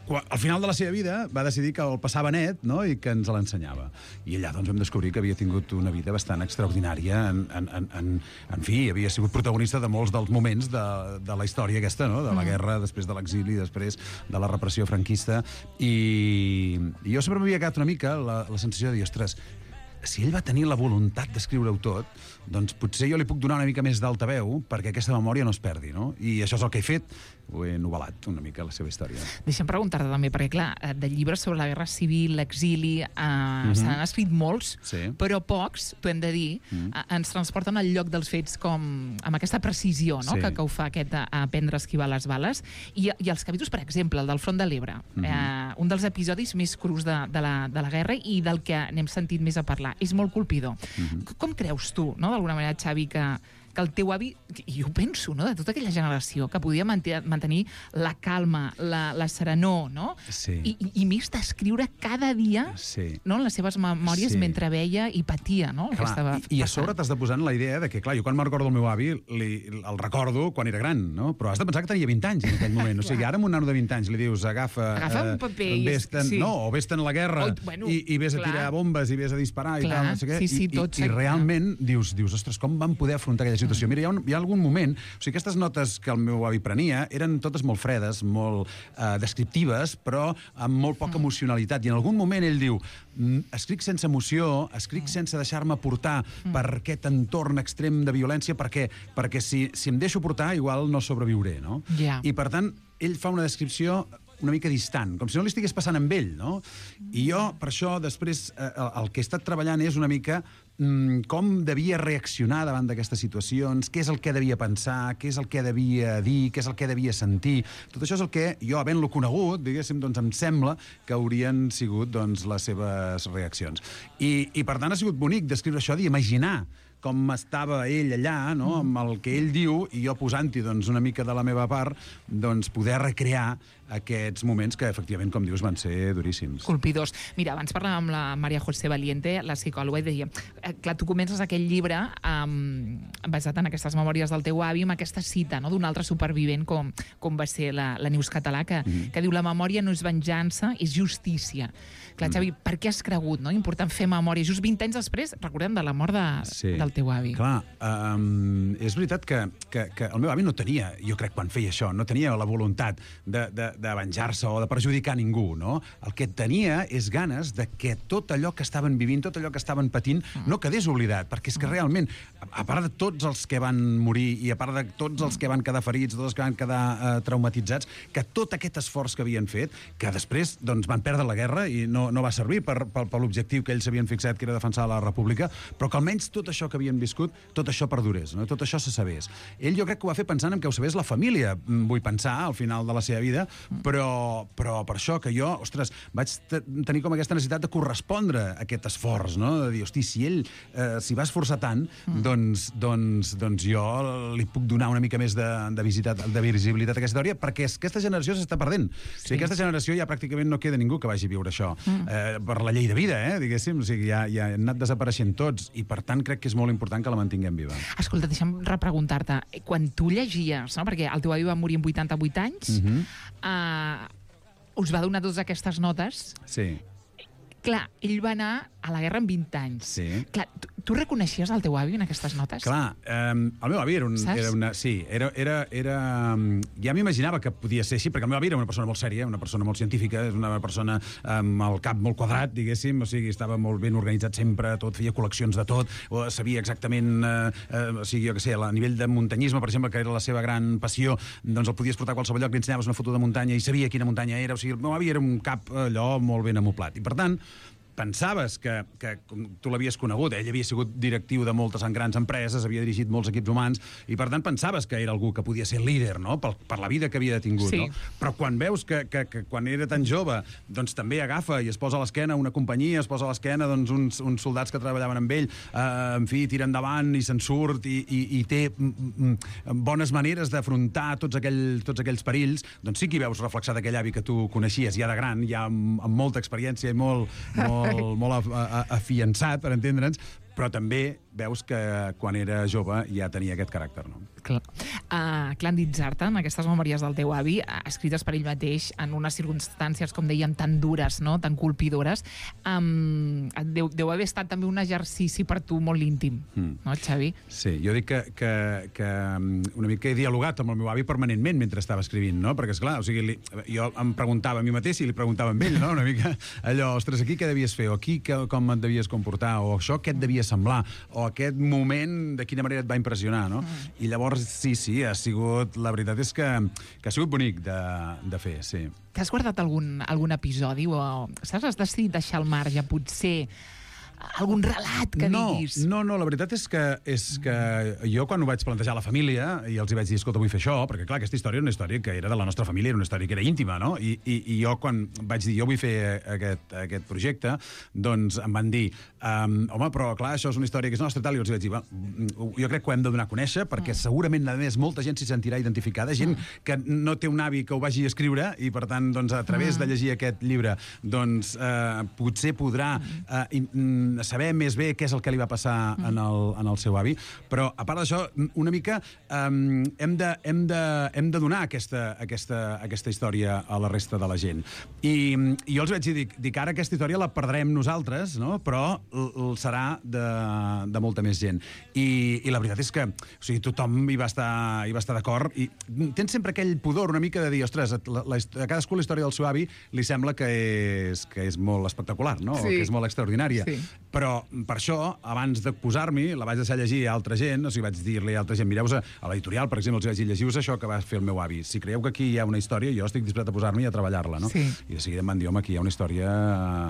al final de la seva vida, va decidir que el passava net, no?, i que ens l'ensenyava. I allà doncs, vam descobrir que havia tingut una vida bastant extraordinària. En, en, en, en, en fi, havia sigut protagonista de molts dels moments de, de la història aquesta, no?, de la guerra, després de l'exili, després de la repressió franquista. I, i jo sempre m'havia quedat una mica la, la sensació de dir, ostres, si ell va tenir la voluntat d'escriure-ho tot, doncs potser jo li puc donar una mica més d'altaveu perquè aquesta memòria no es perdi, no? I això és el que he fet. Ho he novel·lat una mica, la seva història. Deixa'm preguntar-te també, perquè clar, de llibres sobre la guerra civil, l'exili, eh, mm-hmm. se n'han escrit molts, sí. però pocs, t'ho hem de dir, mm. eh, ens transporten al lloc dels fets com amb aquesta precisió, no?, sí. que, que ho fa aquest a aprendre a esquivar les bales. I, i els capítols, per exemple, el del Front de l'Ebre, mm-hmm. eh, un dels episodis més crus de, de, la, de la guerra i del que n'hem sentit més a parlar. És molt colpidor. Mm-hmm. Com creus tu, no?, d'alguna manera, Xavi, que que el teu avi, i jo penso, no?, de tota aquella generació que podia mantenir la calma, la, la serenor, no? Sí. I, i, i més d'escriure cada dia, sí. no?, les seves memòries sí. mentre veia i patia, no?, clar, estava i, I a sobre t'has de posar en la idea de que, clar, jo quan me'n recordo el meu avi, li, el recordo quan era gran, no? Però has de pensar que tenia vint anys en aquell moment. O sigui, ara amb un nano de vint anys li dius, agafa... Agafa un paper i... Vés-te'n, sí. No, o vés-te'n a la guerra oh, bueno, i, i vés clar. a tirar bombes i vés a disparar clar. i tal, no sé què. Sí, sí, I, tot i, i realment dius, dius, ostres, com van poder afrontar aquella situació? Mm. Mira, hi ha, un, hi ha algun moment... O sigui, aquestes notes que el meu avi prenia eren totes molt fredes, molt eh, descriptives, però amb molt poca emocionalitat. I en algun moment ell diu, escric sense emoció, escric sense deixar-me portar per aquest entorn extrem de violència, perquè, perquè si, si em deixo portar, igual no sobreviuré, no? Yeah. I, per tant, ell fa una descripció una mica distant, com si no li estigués passant amb ell, no? I jo, per això, després, eh, el que he estat treballant és una mica mm, com devia reaccionar davant d'aquestes situacions, què és el que devia pensar, què és el que devia dir, què és el que devia sentir. Tot això és el que jo, havent-lo conegut, diguéssim, doncs em sembla que haurien sigut doncs, les seves reaccions. I, i per tant, ha sigut bonic descriure això, d'imaginar com estava ell allà, no?, amb el que ell diu, i jo posant-hi doncs, una mica de la meva part, doncs, poder recrear aquests moments que, efectivament, com dius, van ser duríssims. Colpidors. Mira, abans parlàvem amb la Maria José Valiente, la psicòloga, i deia, eh, clar, tu comences aquell llibre um, basat en aquestes memòries del teu avi, amb aquesta cita, no?, d'un altre supervivent com, com va ser la, la Neus Català, que, mm-hmm. que diu, la memòria no és venjança, és justícia. Clar, Xavi, mm. per què has cregut, no?, important fer memòria? Just vint anys després, recordem, de la mort de, sí. del teu avi. Clar, um, és veritat que, que, que el meu avi no tenia, jo crec, quan feia això, no tenia la voluntat de, de, de venjar-se o de perjudicar ningú, no? El que tenia és ganes de que tot allò que estaven vivint, tot allò que estaven patint, no quedés oblidat, perquè és que realment, a part de tots els que van morir i a part de tots els que van quedar ferits, tots els que van quedar uh, traumatitzats, que tot aquest esforç que havien fet, que després doncs, van perdre la guerra i no, no va servir per, per, per l'objectiu que ells havien fixat, que era defensar la república, però que almenys tot això que havien viscut, tot això perdurés, no? Tot això se sabés. Ell jo crec que ho va fer pensant en que ho sabés la família, vull pensar, al final de la seva vida, però, però per això que jo, ostres, vaig tenir com aquesta necessitat de correspondre a aquest esforç, no? De dir, hosti, si ell eh, s'hi va esforçar tant, mm. doncs, doncs, doncs jo li puc donar una mica més de, de, visitat, de visibilitat a aquesta història, perquè aquesta generació s'està perdent. Sí. O sigui, aquesta generació ja pràcticament no queda ningú que vagi a viure això. Mm. Eh, per la llei de vida, eh, diguéssim, o sigui, ja, ja han anat desapareixent tots, i per tant crec que és molt important que la mantinguem viva. Escolta, deixa'm repreguntar-te, quan tu llegies, no? Perquè el teu avi va morir amb vuitanta-vuit anys, mm-hmm. uh, us va donar totes aquestes notes. Sí. Clar, ell va anar a la guerra amb vint anys. Sí. Clar, tu, tu reconeixies el teu avi en aquestes notes? Clar, eh, el meu avi era, un, era una... Sí, era... era, era ja m'imaginava que podia ser així, perquè el meu avi era una persona molt sèria, una persona molt científica, és una persona amb el cap molt quadrat, diguéssim, o sigui, estava molt ben organitzat sempre, tot, feia col·leccions de tot, o sabia exactament, eh, eh, o sigui, jo què sé, a nivell de muntanyisme, per exemple, que era la seva gran passió, doncs el podies portar a qualsevol lloc, li ensenyaves una foto de muntanya i sabia quina muntanya era, o sigui, el meu avi era un cap allò molt ben amoplat. I per tant, pensaves que, que tu l'havies conegut, ell havia sigut directiu de moltes grans empreses, havia dirigit molts equips humans, i per tant pensaves que era algú que podia ser líder, no?, per, per la vida que havia tingut. Sí. No? Però quan veus que, que, que quan era tan jove doncs també agafa i es posa a l'esquena una companyia, es posa a l'esquena doncs, uns, uns soldats que treballaven amb ell, eh, en fi, tira endavant i se'n surt i, i, i té mm, mm, bones maneres d'afrontar tots, aquell, tots aquells perills, doncs sí que hi veus reflexat aquell avi que tu coneixies ja de gran, ja amb, amb molta experiència i molt, molt, molt afiançat, per entendre'ns, però també veus que quan era jove ja tenia aquest caràcter, no? Clar. Uh, Clàndid Zartan, aquestes memòries del teu avi, uh, escrites per ell mateix en unes circumstàncies, com dèiem, tan dures, no?, tan colpidores, um, deu, deu haver estat també un exercici per tu molt íntim, mm. no, Xavi? Sí, jo dic que, que, que una mica he dialogat amb el meu avi permanentment mentre estava escrivint, no? Perquè, esclar, o sigui, li, jo em preguntava a mi mateix i li preguntava a ell, no?, una mica allò, ostres, aquí què devies fer, o aquí que, com et devies comportar, o això què et devia semblar, o aquest moment de quina manera et va impressionar, no? Mm. I llavors, sí, sí, ha sigut... La veritat és que, que ha sigut bonic de, de fer, sí. T'has guardat algun, algun episodi o, saps, has decidit deixar al marge, potser, algun relat que no, diguis? No, no, la veritat és que, és que jo quan ho vaig plantejar a la família i els hi vaig dir, escolta, vull fer això, perquè clar, aquesta història era una història que era de la nostra família, era una història que era íntima, no? I, i, i jo quan vaig dir, jo vull fer aquest, aquest projecte, doncs em van dir, um, home, però clar, això és una història que és nostra, tal, i els vaig dir, jo crec que ho hem de donar a conèixer, perquè mm. segurament, a més, molta gent s'hi sentirà identificada, gent mm. que no té un avi que ho vagi a escriure, i per tant, doncs, a través mm. de llegir aquest llibre, doncs, eh, potser podrà eh, in, saber més bé què és el que li va passar en el, en el seu avi, però a part d'això, una mica um, hem, de, hem, de, hem de donar aquesta, aquesta, aquesta història a la resta de la gent. I, i jo els vaig dir, dic, dic, ara aquesta història la perdrem nosaltres, no? Però l, l serà de, de molta més gent. I, i la veritat és que o sigui, tothom hi va estar, hi va estar d'acord, i tens sempre aquell pudor una mica de dir, ostres, la, la, a cadascú la història del seu avi li sembla que és, que és molt espectacular, no? Sí. O que és molt extraordinària. Sí. Però per això, abans de posar-m'hi, la vaig deixar llegir a altra gent, o sigui, vaig dir-li a altra gent, mireu-vos a, a l'editorial, per exemple, els vaig dir, llegiu-vos això que va fer el meu avi. Si creieu que aquí hi ha una història, jo estic disposat a posar-m'hi i a treballar-la, no? Sí. I de seguida em van dir, home, aquí hi ha una història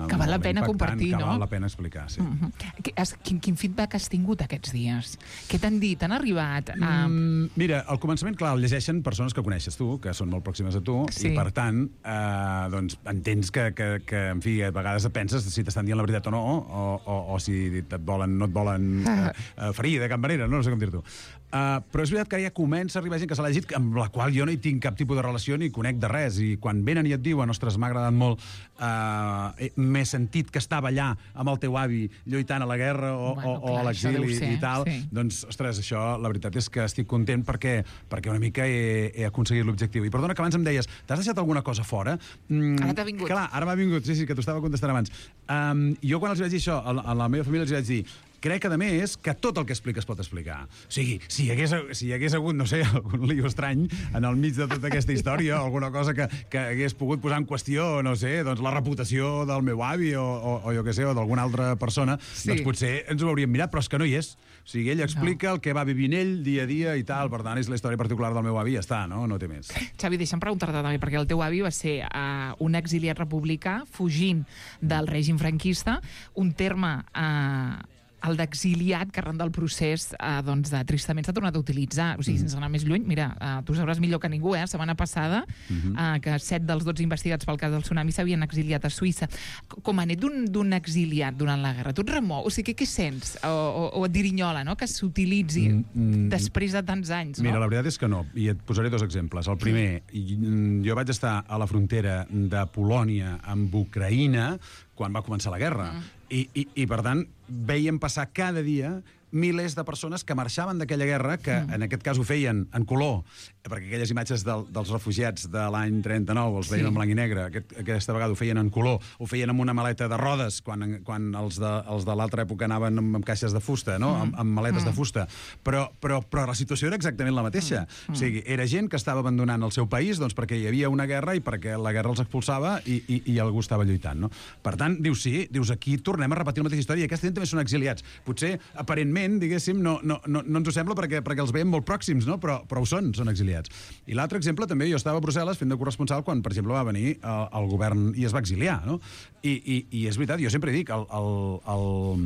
que val la pena compartir, que no? val la pena explicar, sí. Uh -huh. Quin, quin feedback has tingut aquests dies? Què t'han dit? T'han arribat? A... Mm, mira, al començament, clar, el llegeixen persones que coneixes tu, que són molt pròximes a tu, sí. i per tant, eh, doncs, entens que, que, que, en fi, a vegades et penses si t'estan dient la veritat o no, o, o, o si et volen, no et volen eh, eh, ferir de cap manera, no, no sé com dir-t'ho. Uh, però és veritat que ja comença a arribar gent que se l'ha llegit, amb la qual jo no hi tinc cap tipus de relació ni conec de res, i quan venen i et diuen, ostres, m'ha agradat molt, uh, m'he sentit que estava allà amb el teu avi lluitant a la guerra o, bueno, o, o a l'exili i tal, sí. Doncs, ostres, això, la veritat és que estic content perquè, perquè una mica he, he aconseguit l'objectiu. I perdona que abans em deies, t'has deixat alguna cosa fora? Mm, ara t'ha vingut. Clar, ara m'ha vingut, sí, sí, que t'ho estava contestant abans. Um, jo quan els vaig dir això, a la, a la meva família els vaig dir, crec, a més, que tot el que explica es pot explicar. O sigui, si hi hagués, si hi hagués hagut, no sé, algun lío estrany en el mig de tota aquesta història, alguna cosa que, que hagués pogut posar en qüestió, no sé, doncs la reputació del meu avi o, o, o jo què sé, o d'alguna altra persona, sí. Doncs potser ens ho hauríem mirat, però és que no hi és. O sigui, ell explica no. el que va vivint ell dia a dia i tal, per tant, és la història particular del meu avi, ja està, no? No té més. Xavi, deixa'm preguntar-te també, perquè el teu avi va ser uh, un exiliat republicà fugint del règim franquista, un terme... Uh, el d'exiliat, que arran del procés eh, doncs, de tristament s'ha tornat a utilitzar. O sigui, mm. sense anar més lluny, mira, eh, tu sabràs millor que ningú, eh, la setmana passada, mm-hmm. eh, que set dels dotze investigats pel cas del tsunami s'havien exiliat a Suïssa. Com a net d'un exiliat durant la guerra, tu et remou? O sigui, què, què sents? O, o, o et dirinyola, no?, que s'utilitzi mm, mm, després de tants anys, no? Mira, la veritat és que no, i et posaré dos exemples. El primer, jo vaig estar a la frontera de Polònia amb Ucraïna quan va començar la guerra. Mm. I, i, I, per tant, veiem passar cada dia milers de persones que marxaven d'aquella guerra, que mm. en aquest cas ho feien en color, perquè aquelles imatges del, dels refugiats de l'any trenta-nou els veien sí. en blanc i negre, aquest, aquesta vegada ho feien en color, ho feien amb una maleta de rodes, quan, quan els de, els de l'altra època anaven amb, amb caixes de fusta, no? mm. amb, amb maletes mm. de fusta, però, però, però la situació era exactament la mateixa. Mm. O sigui, era gent que estava abandonant el seu país doncs, perquè hi havia una guerra i perquè la guerra els expulsava i, i, i algú estava lluitant. No? Per tant, dius sí, dius aquí tornem a repetir la mateixa història i aquesta gent també són exiliats. Potser, aparentment, aparentment, diguéssim, no, no, no, no ens ho sembla perquè, perquè els veiem molt pròxims, no? però, però ho són, són exiliats. I l'altre exemple, també, jo estava a Brussel·les fent de corresponsal quan, per exemple, va venir el, el govern i es va exiliar, no? I, i, i és veritat, jo sempre dic, el, el, el,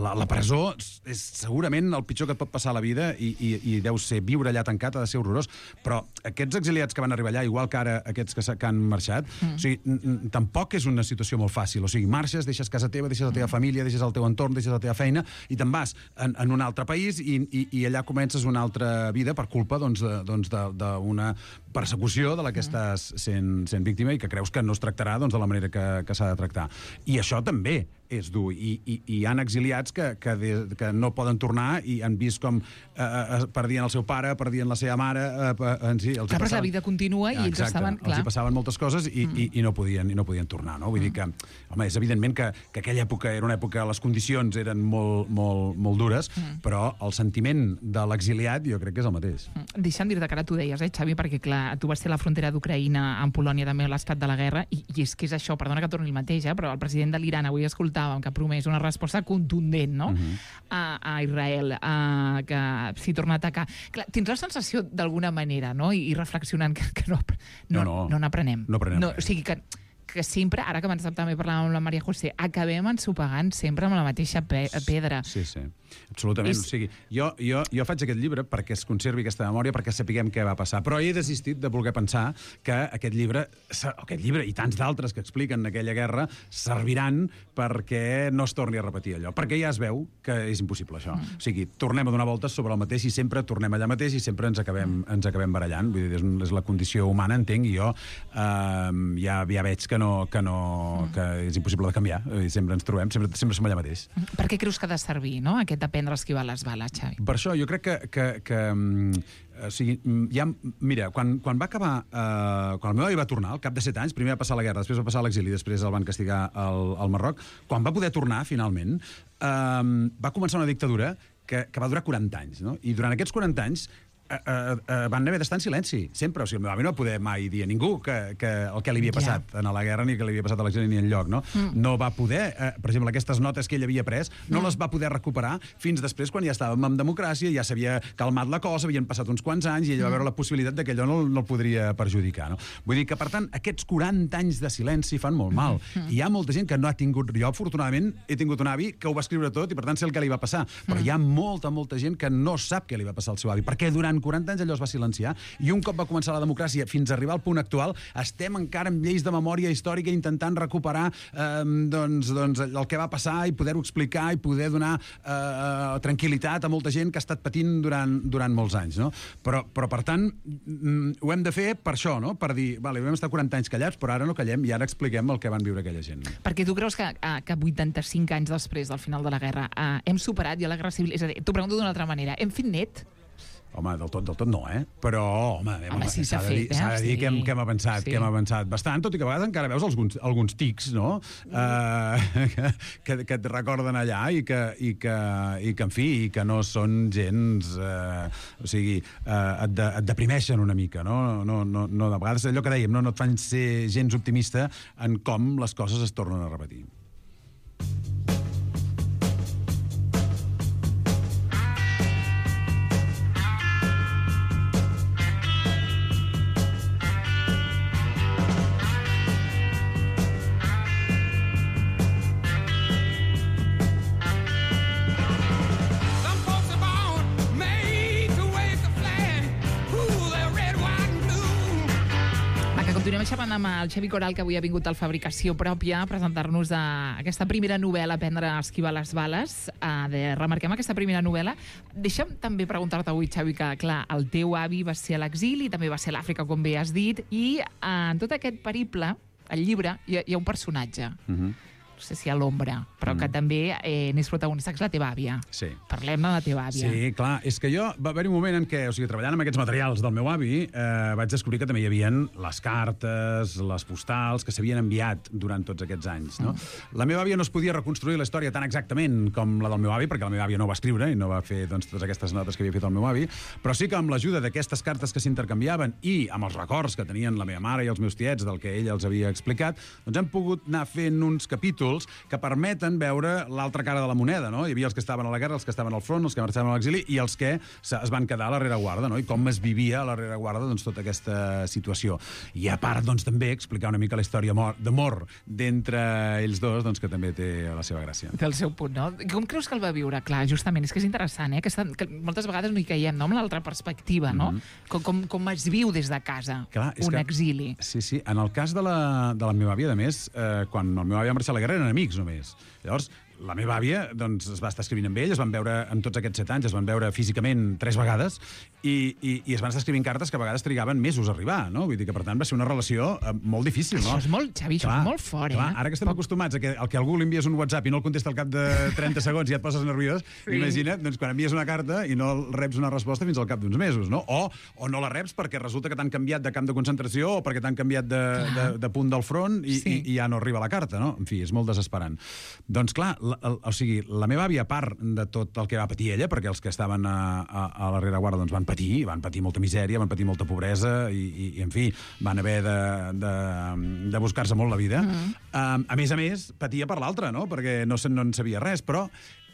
la, la presó és segurament el pitjor que et pot passar a la vida i, i, i deu ser viure allà tancat, ha de ser horrorós, però aquests exiliats que van arribar allà, igual que ara aquests que, que han marxat, mm. o sigui, tampoc és una situació molt fàcil, o sigui, marxes, deixes casa teva, deixes la teva família, deixes el teu entorn, deixes la teva feina, i te'n vas en, en un altre país i, i, i allà comences una altra vida per culpa doncs, de, doncs, de, d'una persecució de la que estàs sent, sent víctima i que creus que no es tractarà doncs, de la manera que, que s'ha de tractar. I això també és dur. I, i, i hi ha exiliats que, que, de, que no poden tornar i han vist com eh, eh, perdien el seu pare, perdien la seva mare... Eh, en si, els clar, però la vida continua i ells estaven... Clar. Els hi passaven moltes coses i, mm. i, i, no podien, i no podien tornar. No? Vull mm. dir que, home, és evidentment que, que aquella època era una època, les condicions eren molt, molt, molt dures, mm. però el sentiment de l'exiliat jo crec que és el mateix. Mm. Deixa'm dir-te que ara tu deies, eh, Xavi, perquè clar, tu vas ser a la frontera d'Ucraïna amb Polònia també a l'esclat de la guerra, i, i és que és això, perdona que torni el mateix, eh, però el president de l'Iran avui escoltàvem que ha promès una resposta contundent, no? Uh-huh. a, a Israel, a, que s'hi torna a atacar. Clar, tens la sensació d'alguna manera, no? I, i reflexionant que, que no, no, no, no n'aprenem. No aprenem no, o sigui que que sempre, ara que abans també parlàvem amb la Maria José, acabem ensopegant sempre amb la mateixa pe pedra. Sí, sí, absolutament. És... O sigui, jo, jo, jo faig aquest llibre perquè es conservi aquesta memòria, perquè sapiguem què va passar, però he desistit de voler pensar que aquest llibre, aquest llibre i tants d'altres que expliquen aquella guerra serviran perquè no es torni a repetir allò, perquè ja es veu que és impossible això. Mm. O sigui, tornem a donar voltes sobre el mateix i sempre tornem allà mateix i sempre ens acabem, mm. ens acabem barallant. Vull dir, és, és la condició humana, entenc, i jo eh, ja, ja veig que no, que, no, que és impossible de canviar. I sempre ens trobem, sempre, sempre som allà mateix. Per què creus que ha de servir, no?, aquest aprendre a esquivar les bales, Xavi? Per això, jo crec que... que, que o sigui, ja, mira, quan, quan va acabar... Eh, quan el meu avi va tornar, al cap de set anys, primer va passar la guerra, després va passar l'exili, després el van castigar al, al Marroc, quan va poder tornar, finalment, eh, va començar una dictadura que, que va durar quaranta anys, no? I durant aquests quaranta anys Uh, uh, uh, van haver d'estar en silenci, sempre. O sigui, el meu avi no va poder mai dir a ningú que, que el que li havia passat ja. en la guerra, ni que li havia passat a l'exili ni enlloc, no? Mm. No va poder, uh, per exemple, aquestes notes que ell havia pres, no mm. les va poder recuperar fins després, quan ja estàvem en democràcia, ja s'havia calmat la cosa, havien passat uns quants anys i ell va veure la possibilitat de que allò no, no el podria perjudicar, no? Vull dir que, per tant, aquests quaranta anys de silenci fan molt mal. Mm. I hi ha molta gent que no ha tingut... Jo, afortunadament, he tingut un avi que ho va escriure tot i, per tant, sé el que li va passar. Però mm. hi ha molta, molta gent que no sap què li va passar al seu avi, perquè durant quaranta anys allò es va silenciar, i un cop va començar la democràcia fins a arribar al punt actual, estem encara amb lleis de memòria històrica intentant recuperar eh, doncs, doncs el que va passar i poder-ho explicar i poder donar eh, tranquil·litat a molta gent que ha estat patint durant, durant molts anys, no? Però, però per tant, ho hem de fer per això, no? Per dir, vale, vam estar quaranta anys callats, però ara no callem i ara expliquem el que van viure aquella gent. Perquè tu creus que, que vuitanta-cinc anys després del final de la guerra eh, hem superat ja la guerra civil? És a dir, t'ho pregunto d'una altra manera, hem fet net? Home, del tot, del tot no, eh? Però, home, home sí, s'ha de dir, fet, eh? s'ha de dir sí. que, hem, que hem avançat, sí. que hem avançat bastant, tot i que a vegades encara veus alguns, alguns tics, no?, uh, que, que et recorden allà i que, i, que, i que, en fi, i que no són gens... Uh, o sigui, uh, et, de, et deprimeixen una mica, no? No, no, no? De vegades allò que dèiem, no, no et fan ser gens optimista en com les coses es tornen a repetir. Continuem xerrant amb el Xavi Coral, que avui ha vingut al Fabricació Pròpia a presentar-nos aquesta primera novel·la, Aprendre a esquivar les bales. Uh, de, remarquem aquesta primera novel·la. Deixa'm també preguntar-te avui, Xavi, que, clar, el teu avi va ser a l'exili, també va ser a l'Àfrica, com bé has dit, i uh, en tot aquest periple, al llibre, hi ha, hi ha un personatge. Mhm. Uh-huh. No sé si a l'ombra, però mm. que també eh, n'és protagonista, que és la teva àvia. Sí. Parlem de la teva àvia. Sí, clar, és que jo va haver un moment en què, o sigui, treballant amb aquests materials del meu avi, eh, vaig descobrir que també hi havia les cartes, les postals, que s'havien enviat durant tots aquests anys, no? Mm. La meva àvia no es podia reconstruir la història tan exactament com la del meu avi, perquè la meva àvia no va escriure i no va fer, doncs, totes aquestes notes que havia fet el meu avi, però sí que amb l'ajuda d'aquestes cartes que s'intercanviaven i amb els records que tenien la meva mare i els meus tiets del que ella els havia explicat, doncs hem pogut anar fent uns capítols capítols que permeten veure l'altra cara de la moneda, no? Hi havia els que estaven a la guerra, els que estaven al front, els que marxaven a l'exili i els que es van quedar a la rereguarda, no? I com es vivia a la rereguarda doncs, tota aquesta situació. I a part, doncs, també explicar una mica la història d'amor d'entre ells dos, doncs, que també té la seva gràcia. Té el seu punt, no? Com creus que el va viure? Clar, justament, és que és interessant, eh? Que, està, que moltes vegades no hi caiem, no? Amb l'altra perspectiva, no? Mm-hmm. Com, com, com es viu des de casa Clar, un que, exili. Sí, sí. En el cas de la, de la meva àvia, a més, eh, quan el meu àvia va marxar a la guerra eren amics només. Llavors, la meva àvia doncs, es va estar escrivint amb ell, es van veure en tots aquests set anys, es van veure físicament tres vegades i, i, i es van estar escrivint cartes que a vegades trigaven mesos a arribar, no? Vull dir que, per tant, va ser una relació eh, molt difícil, no? Això és molt, Xavi, clar, això és molt fort, clar, eh? Ara que estem Poc... acostumats a que, al que algú li envies un WhatsApp i no el contesta al cap de trenta segons i ja et poses nerviós, sí. Imagina't doncs, quan envies una carta i no reps una resposta fins al cap d'uns mesos, no? O, o no la reps perquè resulta que t'han canviat de camp de concentració o perquè t'han canviat de, de, de punt del front i, sí. i, i ja no arriba la carta, no? En fi, és molt desesperant. Doncs, clar, la, el, o sigui, la meva àvia, a part de tot el que va patir ella, perquè els que estaven a, a, a la rereguarda doncs van patir, van patir molta misèria, van patir molta pobresa i, i, i en fi, van haver de, de, de buscar-se molt la vida. Mm. Um, a més a més, patia per l'altra, no? Perquè no, no en sabia res, però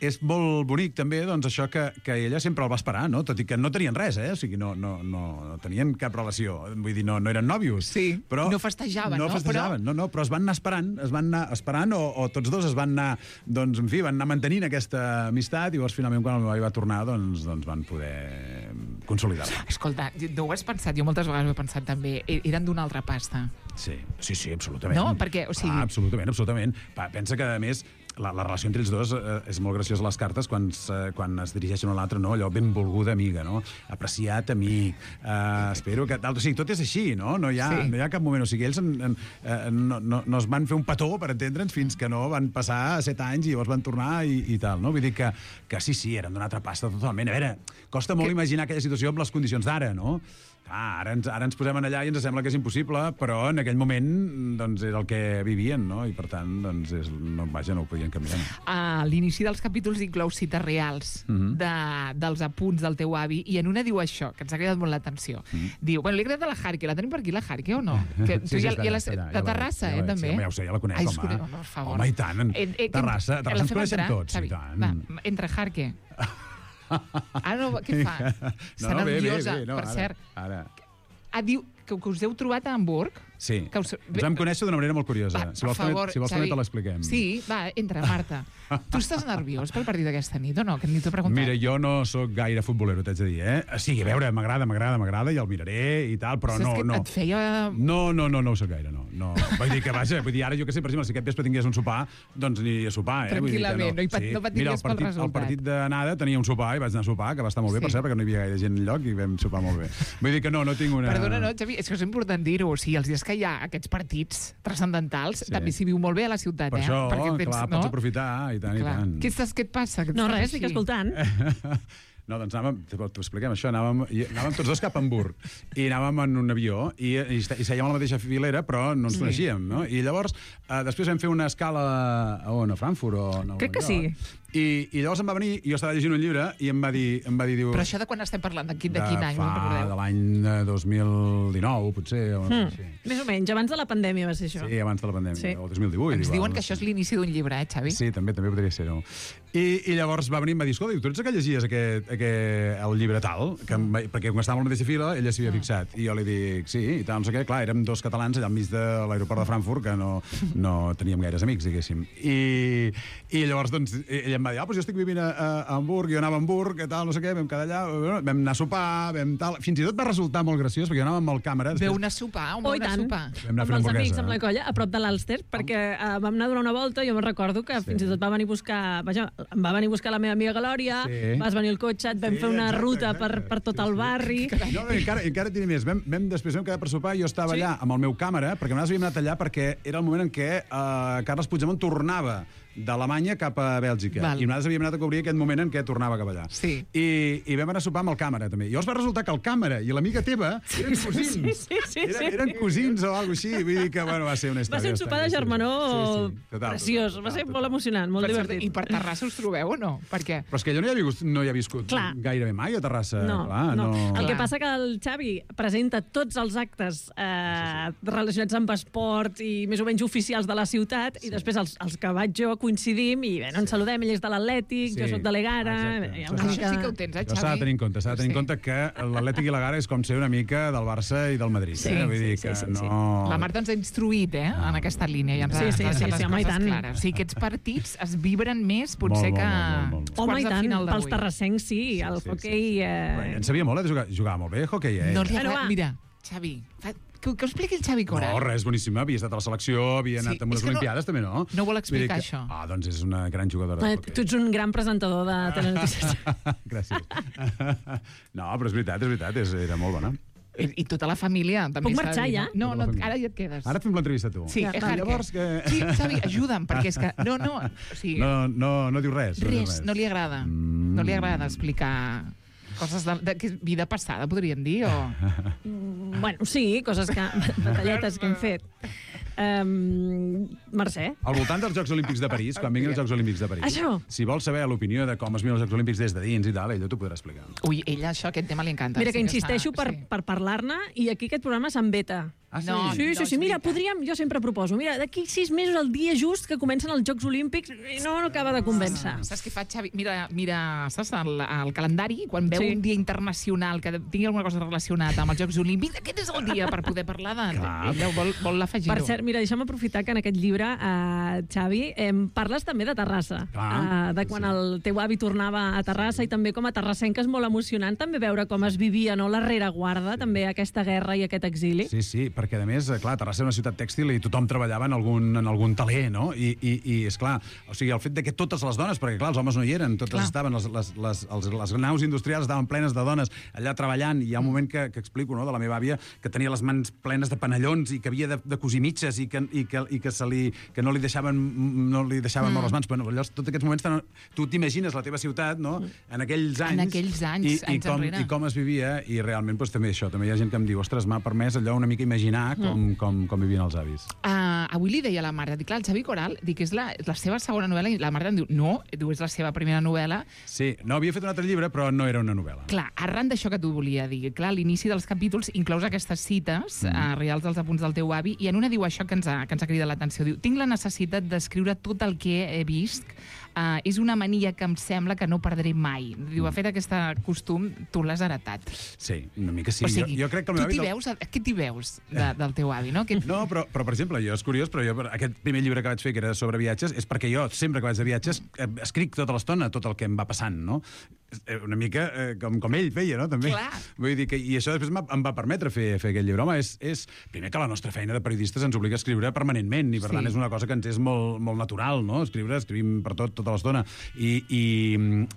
és molt bonic també doncs, això que, que ella sempre el va esperar, no? Tot i que no tenien res, eh? O sigui, no, no, no, no tenien cap relació. Vull dir, no, no eren nòvios. Sí, però no festejaven, no? No festejaven, però... no, no, però es van anar esperant, es van anar esperant o, o tots dos es van anar, doncs, en fi, van anar mantenint aquesta amistat i llavors finalment quan el meu avi va tornar doncs, doncs van poder consolidar-la. Escolta, no ho has pensat, jo moltes vegades ho he pensat també, eren d'una altra pasta. Sí, sí, sí, absolutament. No, perquè, o sigui... Ah, absolutament, absolutament. Va, pensa que, a més, la, la relació entre ells dos eh, és molt graciosa a les cartes quan, eh, quan es dirigeixen a l'altre, no? Allò benvolguda amiga, no? Apreciat amic, eh, espero que... Tal. O sigui, tot és així, no? No hi ha, sí. no hi ha cap moment. O sigui, ells en, en, eh, no, no, no es van fer un petó, per entendre'ns, fins que no van passar set anys i llavors van tornar i, i tal, no? Vull dir que, que sí, sí, eren d'una altra pasta totalment. A veure, costa molt que... imaginar aquella situació amb les condicions d'ara, no? Ah, ara, ens, ara ens posem allà i ens sembla que és impossible, però en aquell moment doncs, era el que vivien, no? I per tant, doncs, és, no, vaja, no ho podien canviar. A l'inici dels capítols inclou cites reals mm-hmm. de, dels apunts del teu avi, i en una diu això, que ens ha cridat molt l'atenció. Mm-hmm. Diu, bueno, li ha agradat la Jarque, la tenim per aquí, la Jarque, o no? Que, sí, sí, ja, està, ja la, allà, de Terrassa, ja eh, també? Sí, home, ja ho sé, ja la conec, Ai, home. Conec, home, per favor. Home, i tant, en, en, en, Terrassa, Terrassa ens coneixem entrar, tots, Xavi, i tant. Va, entre Jarque. Ara no, què fa? No, Està no, nerviosa, bé, bé, bé, no, per ara, cert. Ara. Ah, diu que, que us heu trobat a Hamburg? Sí, que us... ens vam conèixer d'una manera molt curiosa. Va, si vols, favor, si vols també te l'expliquem. Sí, va, entra, Marta. Tu estàs nerviós pel partit d'aquesta nit o no? Que ni t'ho he preguntat. Mira, jo no sóc gaire futbolero, t'haig de dir, eh? Sí, a veure, m'agrada, m'agrada, m'agrada, i el miraré i tal, però Saps no, que no. Et feia... No, no, no, no ho soc gaire, no. no. Vull dir que, vaja, vull dir, ara jo que sé, per exemple, si aquest vespre tingués un sopar, doncs aniria a sopar, eh? Tranquil·lament, vull dir que no, no, no paties Mira, pel resultat. El partit d'anada tenia un sopar i vaig anar a sopar, que va estar molt bé, sí. Per cert, perquè no hi havia gaire gent enlloc i vam sopar molt bé. Vull dir que no, no tinc una... Perdona, no, Xavi, és que és important dir-ho. O sigui, els dies que hi ha aquests partits transcendentals, sí. També s'hi viu molt bé a la ciutat, per eh? això, perquè tens, clar, no? pots aprofitar, i tant, clar. i tant. Què, estàs, què et passa? No, res, estic escoltant. No, doncs anàvem, t'ho expliquem això, anàvem, anàvem tots dos cap a Hamburg i anàvem en un avió i, i, i sèiem a la mateixa filera, però no ens sí. coneixíem, no? I llavors, eh, després vam fer una escala a on, a Frankfurt o a Nova Crec que York. sí. I, I llavors em va venir, i jo estava llegint un llibre, i em va dir... Em va dir diu, però això de quan estem parlant? De quin, de quin any? Fa, de l'any dos mil dinou, potser. O, mm. sí. Més o menys, abans de la pandèmia va ser això. Sí, abans de la pandèmia, sí. o dos mil divuit. Ens igual, diuen no que sé. això és l'inici d'un llibre, eh, Xavi? Sí, també també podria ser-ho. I, I llavors va venir i em va dir, escolta, tu ets que llegies aquest, aquest, el llibre tal? Que em, perquè quan estàvem a la mateixa fila, ella s'hi havia fixat. I jo li dic, sí, i tal, no sé què. Clar, érem dos catalans allà enmig de l'aeroport de Frankfurt, que no, no teníem gaires amics, diguéssim. I, i llavors, doncs, ella em va dir, ah, doncs jo estic vivint a, a Hamburg, jo anava a Hamburg, que tal, no sé què, vam quedar allà, vam anar a sopar, vam tal... Fins i tot va resultar molt graciós, perquè jo anava amb el càmera... Després... Veu anar a sopar, on veu anar a sopar? Vam anar a fer amb una els amics, hamburguesa. amb la colla, a prop de l'Alster, perquè uh, vam anar a donar una volta, jo me'n recordo que sí. Fins i tot va venir a buscar... Vaja, em va venir a buscar la meva amiga Galòria, sí. Vas venir al cotxe, et vam sí, fer una exacte, ruta exacte. Per, per tot sí, el barri... Sí. No, encara, encara et diré més, vam, vam, després vam quedar per sopar i jo estava sí. allà amb el meu càmera, perquè a vegades havíem anat allà perquè era el moment en què uh, Carles Puigdemont tornava d'Alemanya cap a Bèlgica. Val. I nosaltres havíem anat a cobrir aquest moment en què tornava cap allà. Sí. I, I vam anar a sopar amb el càmera, també. I llavors va resultar que el càmera i l'amiga teva eren cosins. Sí, sí, sí, eren, sí. eren cosins o alguna cosa així. Vull dir que, bueno, va ser una història. Va ser un sopar de germanor sí, sí. Total, preciós. total, Va ser total, molt total. emocionant, molt Per divertit. cert, I per Terrassa us trobeu o no? Per què? Però és que jo no hi he viscut, no hi he viscut Clar. gairebé mai a Terrassa. No, Clar, no. no. El que Clar. passa que el Xavi presenta tots els actes eh, relacionats amb esport i més o menys oficials de la ciutat i després els, els que vaig jo coincidim i bé, no ens saludem, ell és de l'Atlètic, Sí. jo sóc de l'Egara... Exacte. hi ha Això una Això mica- sí que ho tens, eh, Això Xavi? s'ha de tenir en compte, s'ha de tenir en Sí. compte que l'Atlètic i la Gara és com ser una mica del Barça i del Madrid. Sí, eh? Vull dir sí, que sí, sí, sí. no... La Marta ens ha instruït, eh, en aquesta línia. I ens ha, Sí, sí, ens ha sí, deixat sí, les home, i coses tant. clares. O sigui, aquests partits es vibren més, potser, Molt, que molt, molt, molt, molt. els Home, quarts i de tant, final pels d'avui. terrassencs sí, el sí, hoquei... Però Eh... En sabia molt, eh, de jugar. Jugava molt bé, hoquei, eh? No li Bueno, agrada... va. Mira, Xavi, fa... que, que ho expliqui el Xavi Coral. No, res, boníssima. Havia estat a la selecció, havia Sí, anat a és unes que no- Olimpiades, també, no? no vol explicar Vull dir que- això. Ah, doncs és una gran jugadora. Eh, d'hoquei. Tu ets un gran presentador de telenotícies. Gràcies. No, però és veritat, és veritat, és, era molt bona. I, I tota la família també. Puc s'ha de marxar, dir, ja? No, Tota no, la família. ara ja et quedes. Ara et fem l'entrevista, tu. Sí, Ja, eh, va. Harker. Llavors que- Sí, Xavi, ajuda'm, perquè és que... No, no, o sigui, No, no, no diu res. No diu res, res. no li agrada. Mm. No li agrada explicar coses de, de, de vida passada, podríem dir, o... Bueno, sí, coses que... batalletes que hem fet. Um, Mercè? Al voltant dels Jocs Olímpics de París, quan vinguin els Jocs Olímpics de París, Això. si vols saber l'opinió de com es miren els Jocs Olímpics des de dins i tal, ella t'ho podrà explicar. Ui, ella, això, aquest tema li encanta. Mira que Sí insisteixo està- per, sí. per parlar-ne i aquí aquest programa se'n veta. Ah, sí? No, Sí, sí, no sí, és mira, veritat. podríem, jo sempre proposo, mira, d'aquí sis mesos, el dia just que comencen els Jocs Olímpics, i no, no acaba de convèncer. Saps què fa, Xavi? Mira, mira saps, el, el calendari, quan veu Sí. un dia internacional que tingui alguna cosa relacionada amb els Jocs Olímpics, aquest és el dia per poder parlar de... Clar. Ella vol, vol afegir-ho. Per cert, mira, deixa'm aprofitar que en aquest llibre, eh, Xavi, eh, parles també de Terrassa. Clar, Eh, de quan sí. el teu avi tornava a Terrassa i també com a terrassenca és molt emocionant també veure com es vivia, no?, la rereguarda, sí. també aquesta guerra i aquest exili. Sí, sí, perquè a més, clar, Terrassa era una ciutat tèxtil i tothom treballava en algun, en algun taler, no? I, i, i és clar, o sigui, el fet de que totes les dones, perquè clar, els homes no hi eren, totes Clar. estaven, les, les, les, els, les naus industrials estaven plenes de dones allà treballant, i hi ha un moment que, que explico, no?, de la meva àvia, que tenia les mans plenes de panellons i que havia de, de cosir mitges i que, i que, i que, se li, que no li deixaven, no li deixaven mm. moure les mans. Bueno, llavors, tots aquests moments, tan, tu t'imagines la teva ciutat, no?, en aquells anys. En aquells anys, i, i, anys com, enrere. i com es vivia, i realment doncs, també això, també hi ha gent que em diu, ostres, m'ha permès allò una mica imaginar com, Mm. com, com vivien els avis. Uh, avui li deia a la Marta, dic, clar, el Xavi Coral, dic, és la, la seva segona novel·la, i la Marta em diu, no, diu, és la seva primera novel·la. Sí, no, havia fet un altre llibre, però no era una novel·la. Clar, arran d'això que tu volia dir, clar, a l'inici dels capítols inclous aquestes cites mm. uh, reals dels apunts del teu avi, i en una diu això que ens ha, que ens ha cridat l'atenció. Diu, tinc la necessitat d'escriure tot el que he vist, uh, és una mania que em sembla que no perdré mai. Diu, de fet, aquest costum tu l'has heretat. Sí, una mica sí. o sigui, jo, jo crec que el meu tu t'hi avi... veus, què t'hi veus de, del teu avi, no? Que... No, però, però, per exemple, jo és curiós, però jo aquest primer llibre que vaig fer, que era sobre viatges, és perquè jo, sempre que vaig de viatges, eh, escric tota l'estona tot el que em va passant, no? Eh, Una mica eh, com, com ell feia, no? També. Clar. Vull dir que, i això després m'ha- em va permetre fer, fer aquest llibre. Home, és, és primer que la nostra feina de periodistes ens obliga a escriure permanentment, i per Sí. tant és una cosa que ens és molt, molt natural, no? Escriure, escrivim per tot, tota l'estona. I, i,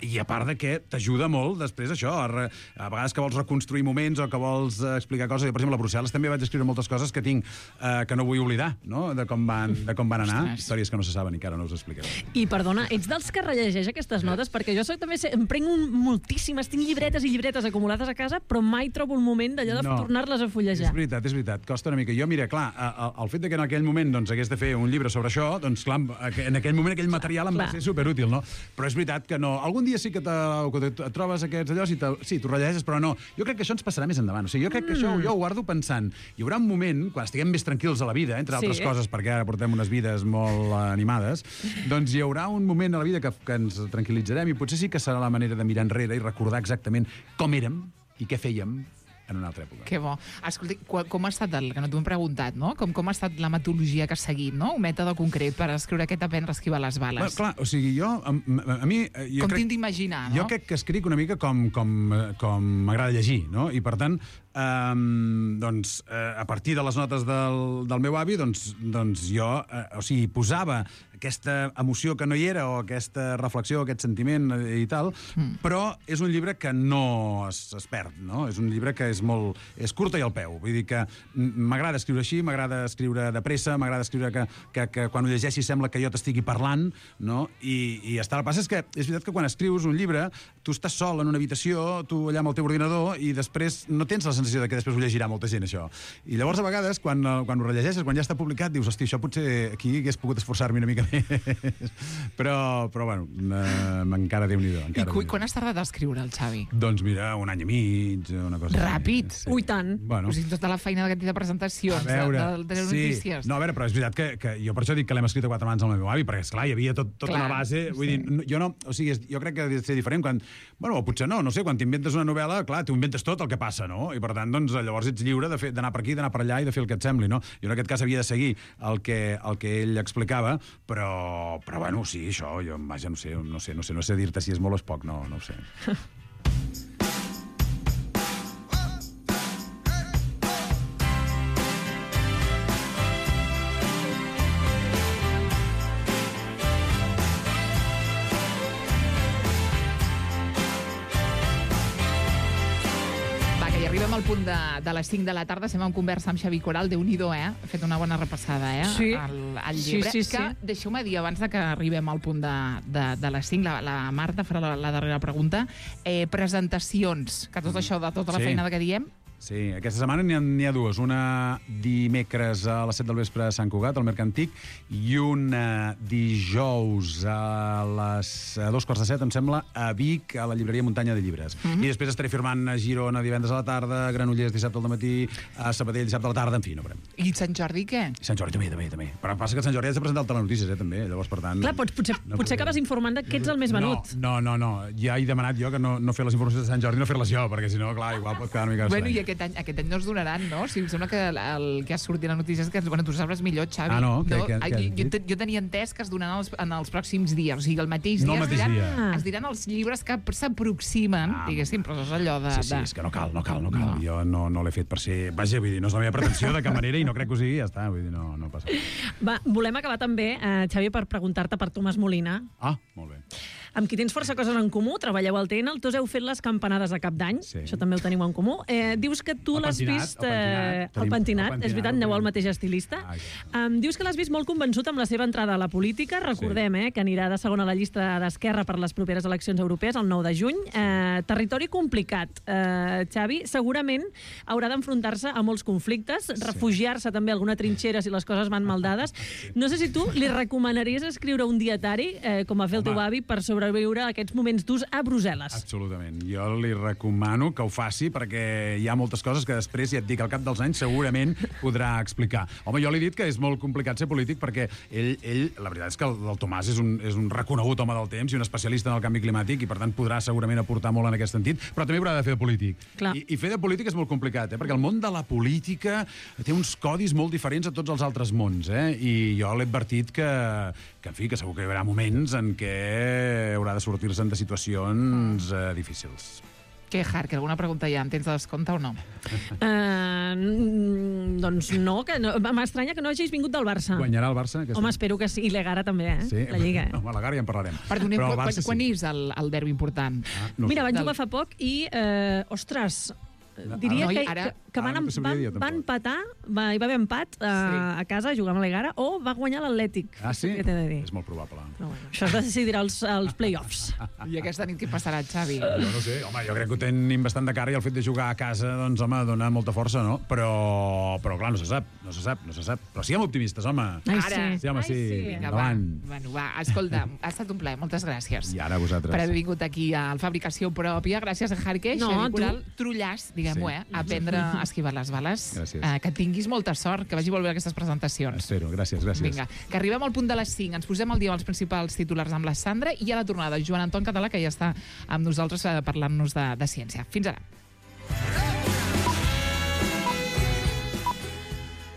I a part de que t'ajuda molt després això, a, re, a vegades que vols reconstruir moments o que vols eh, explicar coses. Jo, per exemple, a Brussel·les també vaig escriure moltes coses que tinc, eh, que no vull oblidar, no?, de com van, de com van anar. Ostres. Històries que no se saben i que ara no us explicaré. I perdona, ets dels que rellegeix aquestes notes? Perquè jo soc, també sé, em prenc un, moltíssimes, tinc llibretes i llibretes acumulades a casa, però mai trobo un moment d'allò de No. tornar-les a fullejar. És veritat, és veritat, costa una mica. Jo, mira, clar, a- a- el fet de que en aquell moment doncs, hagués de fer un llibre sobre això, doncs clar, en aquell moment aquell material em va Clar. ser superútil, no? Però és veritat que no. Algun dia sí que, te, que te, et trobes aquests allò, i te, sí, t'ho rellegeixes, però no. Jo crec que això ens passarà més endavant. O sigui, jo crec que això jo ho guardo pensant. Hi haurà un moment, quan estiguem més tranquils a la vida, entre altres Sí. coses, perquè ara portem unes vides molt eh, animades, doncs hi haurà un moment a la vida que, que ens tranquil·litzarem, i potser sí que serà la manera de mirar enrere i recordar exactament com érem i què fèiem en una altra època. Que bo. Escolta, com, com ha estat, el, que no t'ho hem preguntat, no? Com, com ha estat la metodologia que has seguit, no? Un mètode concret per escriure aquest aprendre a esquivar les bales. Bueno, clar, o sigui, jo, a, a, a mi... eh, Jo com crec, tinc d'imaginar, no? Jo crec que escric una mica com, com, eh, com m'agrada llegir, no? I, per tant, um, doncs, uh, a partir de les notes del, del meu avi, doncs, doncs jo, uh, o sigui, posava aquesta emoció que no hi era, o aquesta reflexió, aquest sentiment i tal, mm. però és un llibre que no es, es perd, no? És un llibre que és molt... és curta i al peu. Vull dir que m'agrada escriure així, m'agrada escriure de pressa, m'agrada escriure que, que, que quan ho llegeixi sembla que jo t'estigui parlant, no? I, i està. El que passa és que és veritat que quan escrius un llibre, tu estàs sol en una habitació, tu allà amb el teu ordinador, i després no tens la sensació de que després ho llegirà molta gent, això. I llavors, a vegades, quan, quan ho rellegeixes, quan ja està publicat, dius, hosti, això potser aquí hagués pogut esforçar-me una mica però, però bueno, encara Déu-n'hi-do. I cu quan has tardat a escriure el Xavi? Doncs mira, un any i mig, una cosa... Ràpid? Sí. Ui, tant. Bueno. O sigui, tota la feina d'aquest de presentacions, veure, de, de, de les sí. notícies. No, a veure, però és veritat que, que jo per això dic que l'hem escrit a quatre mans al meu avi, perquè, esclar, hi havia tot, tota una base... Vull sí. dir, jo no... O sigui, jo crec que ha de ser diferent quan... Bueno, potser no, no sé, quan t'inventes una novel·la, clar, t'ho inventes tot el que passa, no? I per tant, doncs, llavors ets lliure d'anar per aquí, d'anar per allà i de fer el que et sembli, no? Jo en aquest cas havia de seguir el que, el que ell explicava, però, però bueno, sí, això, jo, vaja, no sé, no sé, no sé, no sé dir-te si és molt o és poc, no, no ho sé. Arribem al punt de, de les cinc de la tarda, estem en conversa amb Xavi Coral, Déu-n'hi-do, eh? Ha fet una bona repassada, eh? Sí. Al, al llibre. Sí, sí, que, sí. deixeu-me dir, abans de que arribem al punt de, de, de les cinc, la, la Marta farà la, la darrera pregunta. Eh, presentacions, que tot això de tota la Sí. feina que diem... Sí, aquesta setmana n'hi ha, n'hi ha dues. Una dimecres a les set del vespre a Sant Cugat, al Mercantic, i una dijous a les a dos quarts de set, em sembla, a Vic, a la llibreria Muntanya de Llibres. Mm-hmm. I després estaré firmant a Girona divendres a la tarda, a Granollers dissabte al matí, a Sabadell dissabte a la tarda, en fi, no veurem. I Sant Jordi, què? Sant Jordi també, també, també. Però passa que Sant Jordi has de presentar el Telenotícies, eh, també. Llavors, per tant... Clar, pots, potser, no potser acabes informant que ets el més venut. No, no, no, no. Ja he demanat jo que no, no fer les informacions de Sant Jordi, no fer-les jo, perquè si no, clar, igual pot quedar una mica Bueno, estrany. i aquest any, aquest any no es donaran, no? O sigui, em sembla que el, el que ha sortit a la notícia és que, bueno, tu sabràs millor, Xavi. Ah, no? Que, no? que, Ai, que, jo, jo, jo tenia entès que es donaran els, en els pròxims dies, o sigui, el mateix No dia, el es, mateix diran, dia. es diran els llibres que s'aproximen, Ah, diguéssim, però és allò de... Sí, sí, de... és que no cal, no cal, no cal. No. Jo no, no l'he fet per ser... Vaja, vull dir, no és la meva pretensió de cap manera i no crec que ho sigui, ja està, vull dir, no, no passa. Va, volem acabar també, eh, Xavi, per preguntar-te per Tomàs Molina. Ah, molt bé. Amb qui tens força coses en comú, treballeu al T N, tots heu fet les campanades de cap d'any, Sí. això també ho teniu en comú. Eh, dius que tu El l'has pentinat, vist... el pentinat. Eh, Tenim el pentinat, el és veritat, pentinat, aneu al el mateix estilista. Ah, Um, dius que l'has vist molt convençut amb la seva entrada a la política. Recordem eh, que anirà de segona a la llista d'Esquerra per les properes eleccions europees, el nou de juny. Eh, territori complicat. Eh, Xavi, segurament haurà d'enfrontar-se a molts conflictes, refugiar-se també a alguna trinxera si les coses van mal dades. No sé si tu li recomanaries escriure un dietari, eh, com va fer el teu avi, per sobreviure a aquests moments durs a Brussel·les. Absolutament. Jo li recomano que ho faci perquè hi ha moltes coses que després, ja et dic, al cap dels anys segurament podrà explicar. Home, jo li he dit que és molt complicat ser polític perquè ell, ell la veritat és que el, el Tomàs és un, és un reconegut home del temps i un especialista en el canvi climàtic i per tant podrà segurament aportar molt en aquest sentit, però també haurà de fer de polític. Clar. I, I fer de polític és molt complicat, eh? Perquè el món de la política té uns codis molt diferents a tots els altres mons, eh? I jo l'he advertit que, que, en fi, que segur que hi haurà moments en què haurà de sortir-se'n de situacions eh, difícils. Què, Hark, alguna pregunta ja? En tens de descompte o no? Uh, doncs no, que no m'estranya que no hagis vingut del Barça. Guanyarà el Barça? Home, espero que sí. I l'Egara també, eh? Sí? La Lliga. No, a la Gara ja en parlarem. Perdoneu, Però el quan, Barça quan sí. és el, el derbi important? Ah, no Mira, sé. van Del- jugar fa poc i, eh, ostres, diria Noi, que, ara- que, que van, ara no t'ho sabria van, dir, tampoc. van empatar, va, hi va haver empat a, Sí. a casa jugant amb l'Egara, o va guanyar l'Atlètic. Ah, sí? Què t'he de dir? És molt probable. Però bueno, això es decidirà als, als play-offs. I aquesta nit què passarà, Xavi? Jo no sé, home, jo crec que ho tenim bastant de cara i el fet de jugar a casa, doncs, home, dona molta força, no? Però, però clar, no se sap, no se sap, no se sap. Però siguem optimistes, home. Ai, Ara. sí. Sí, home, sí. Vinga, va. Endavant. Bueno, va, escolta, ha estat un plaer, moltes gràcies. I ara vosaltres. Per haver vingut aquí al Fabricació Pròpia. Gràcies a Harque, No, Xavi tu. Coral, trullàs, diguem-ho, Sí. eh? Aprendre a esquivar les bales. Gràcies. Eh, que tinguis molta sort, que vagi molt bé aquestes presentacions. Espero, gràcies, gràcies. Vinga, que arribem al punt de les cinc. Ens posem al dia amb els principals titulars amb la Sandra i a la tornada Joan Anton Català, que ja està amb nosaltres eh, parlant-nos de, de ciència. Fins ara.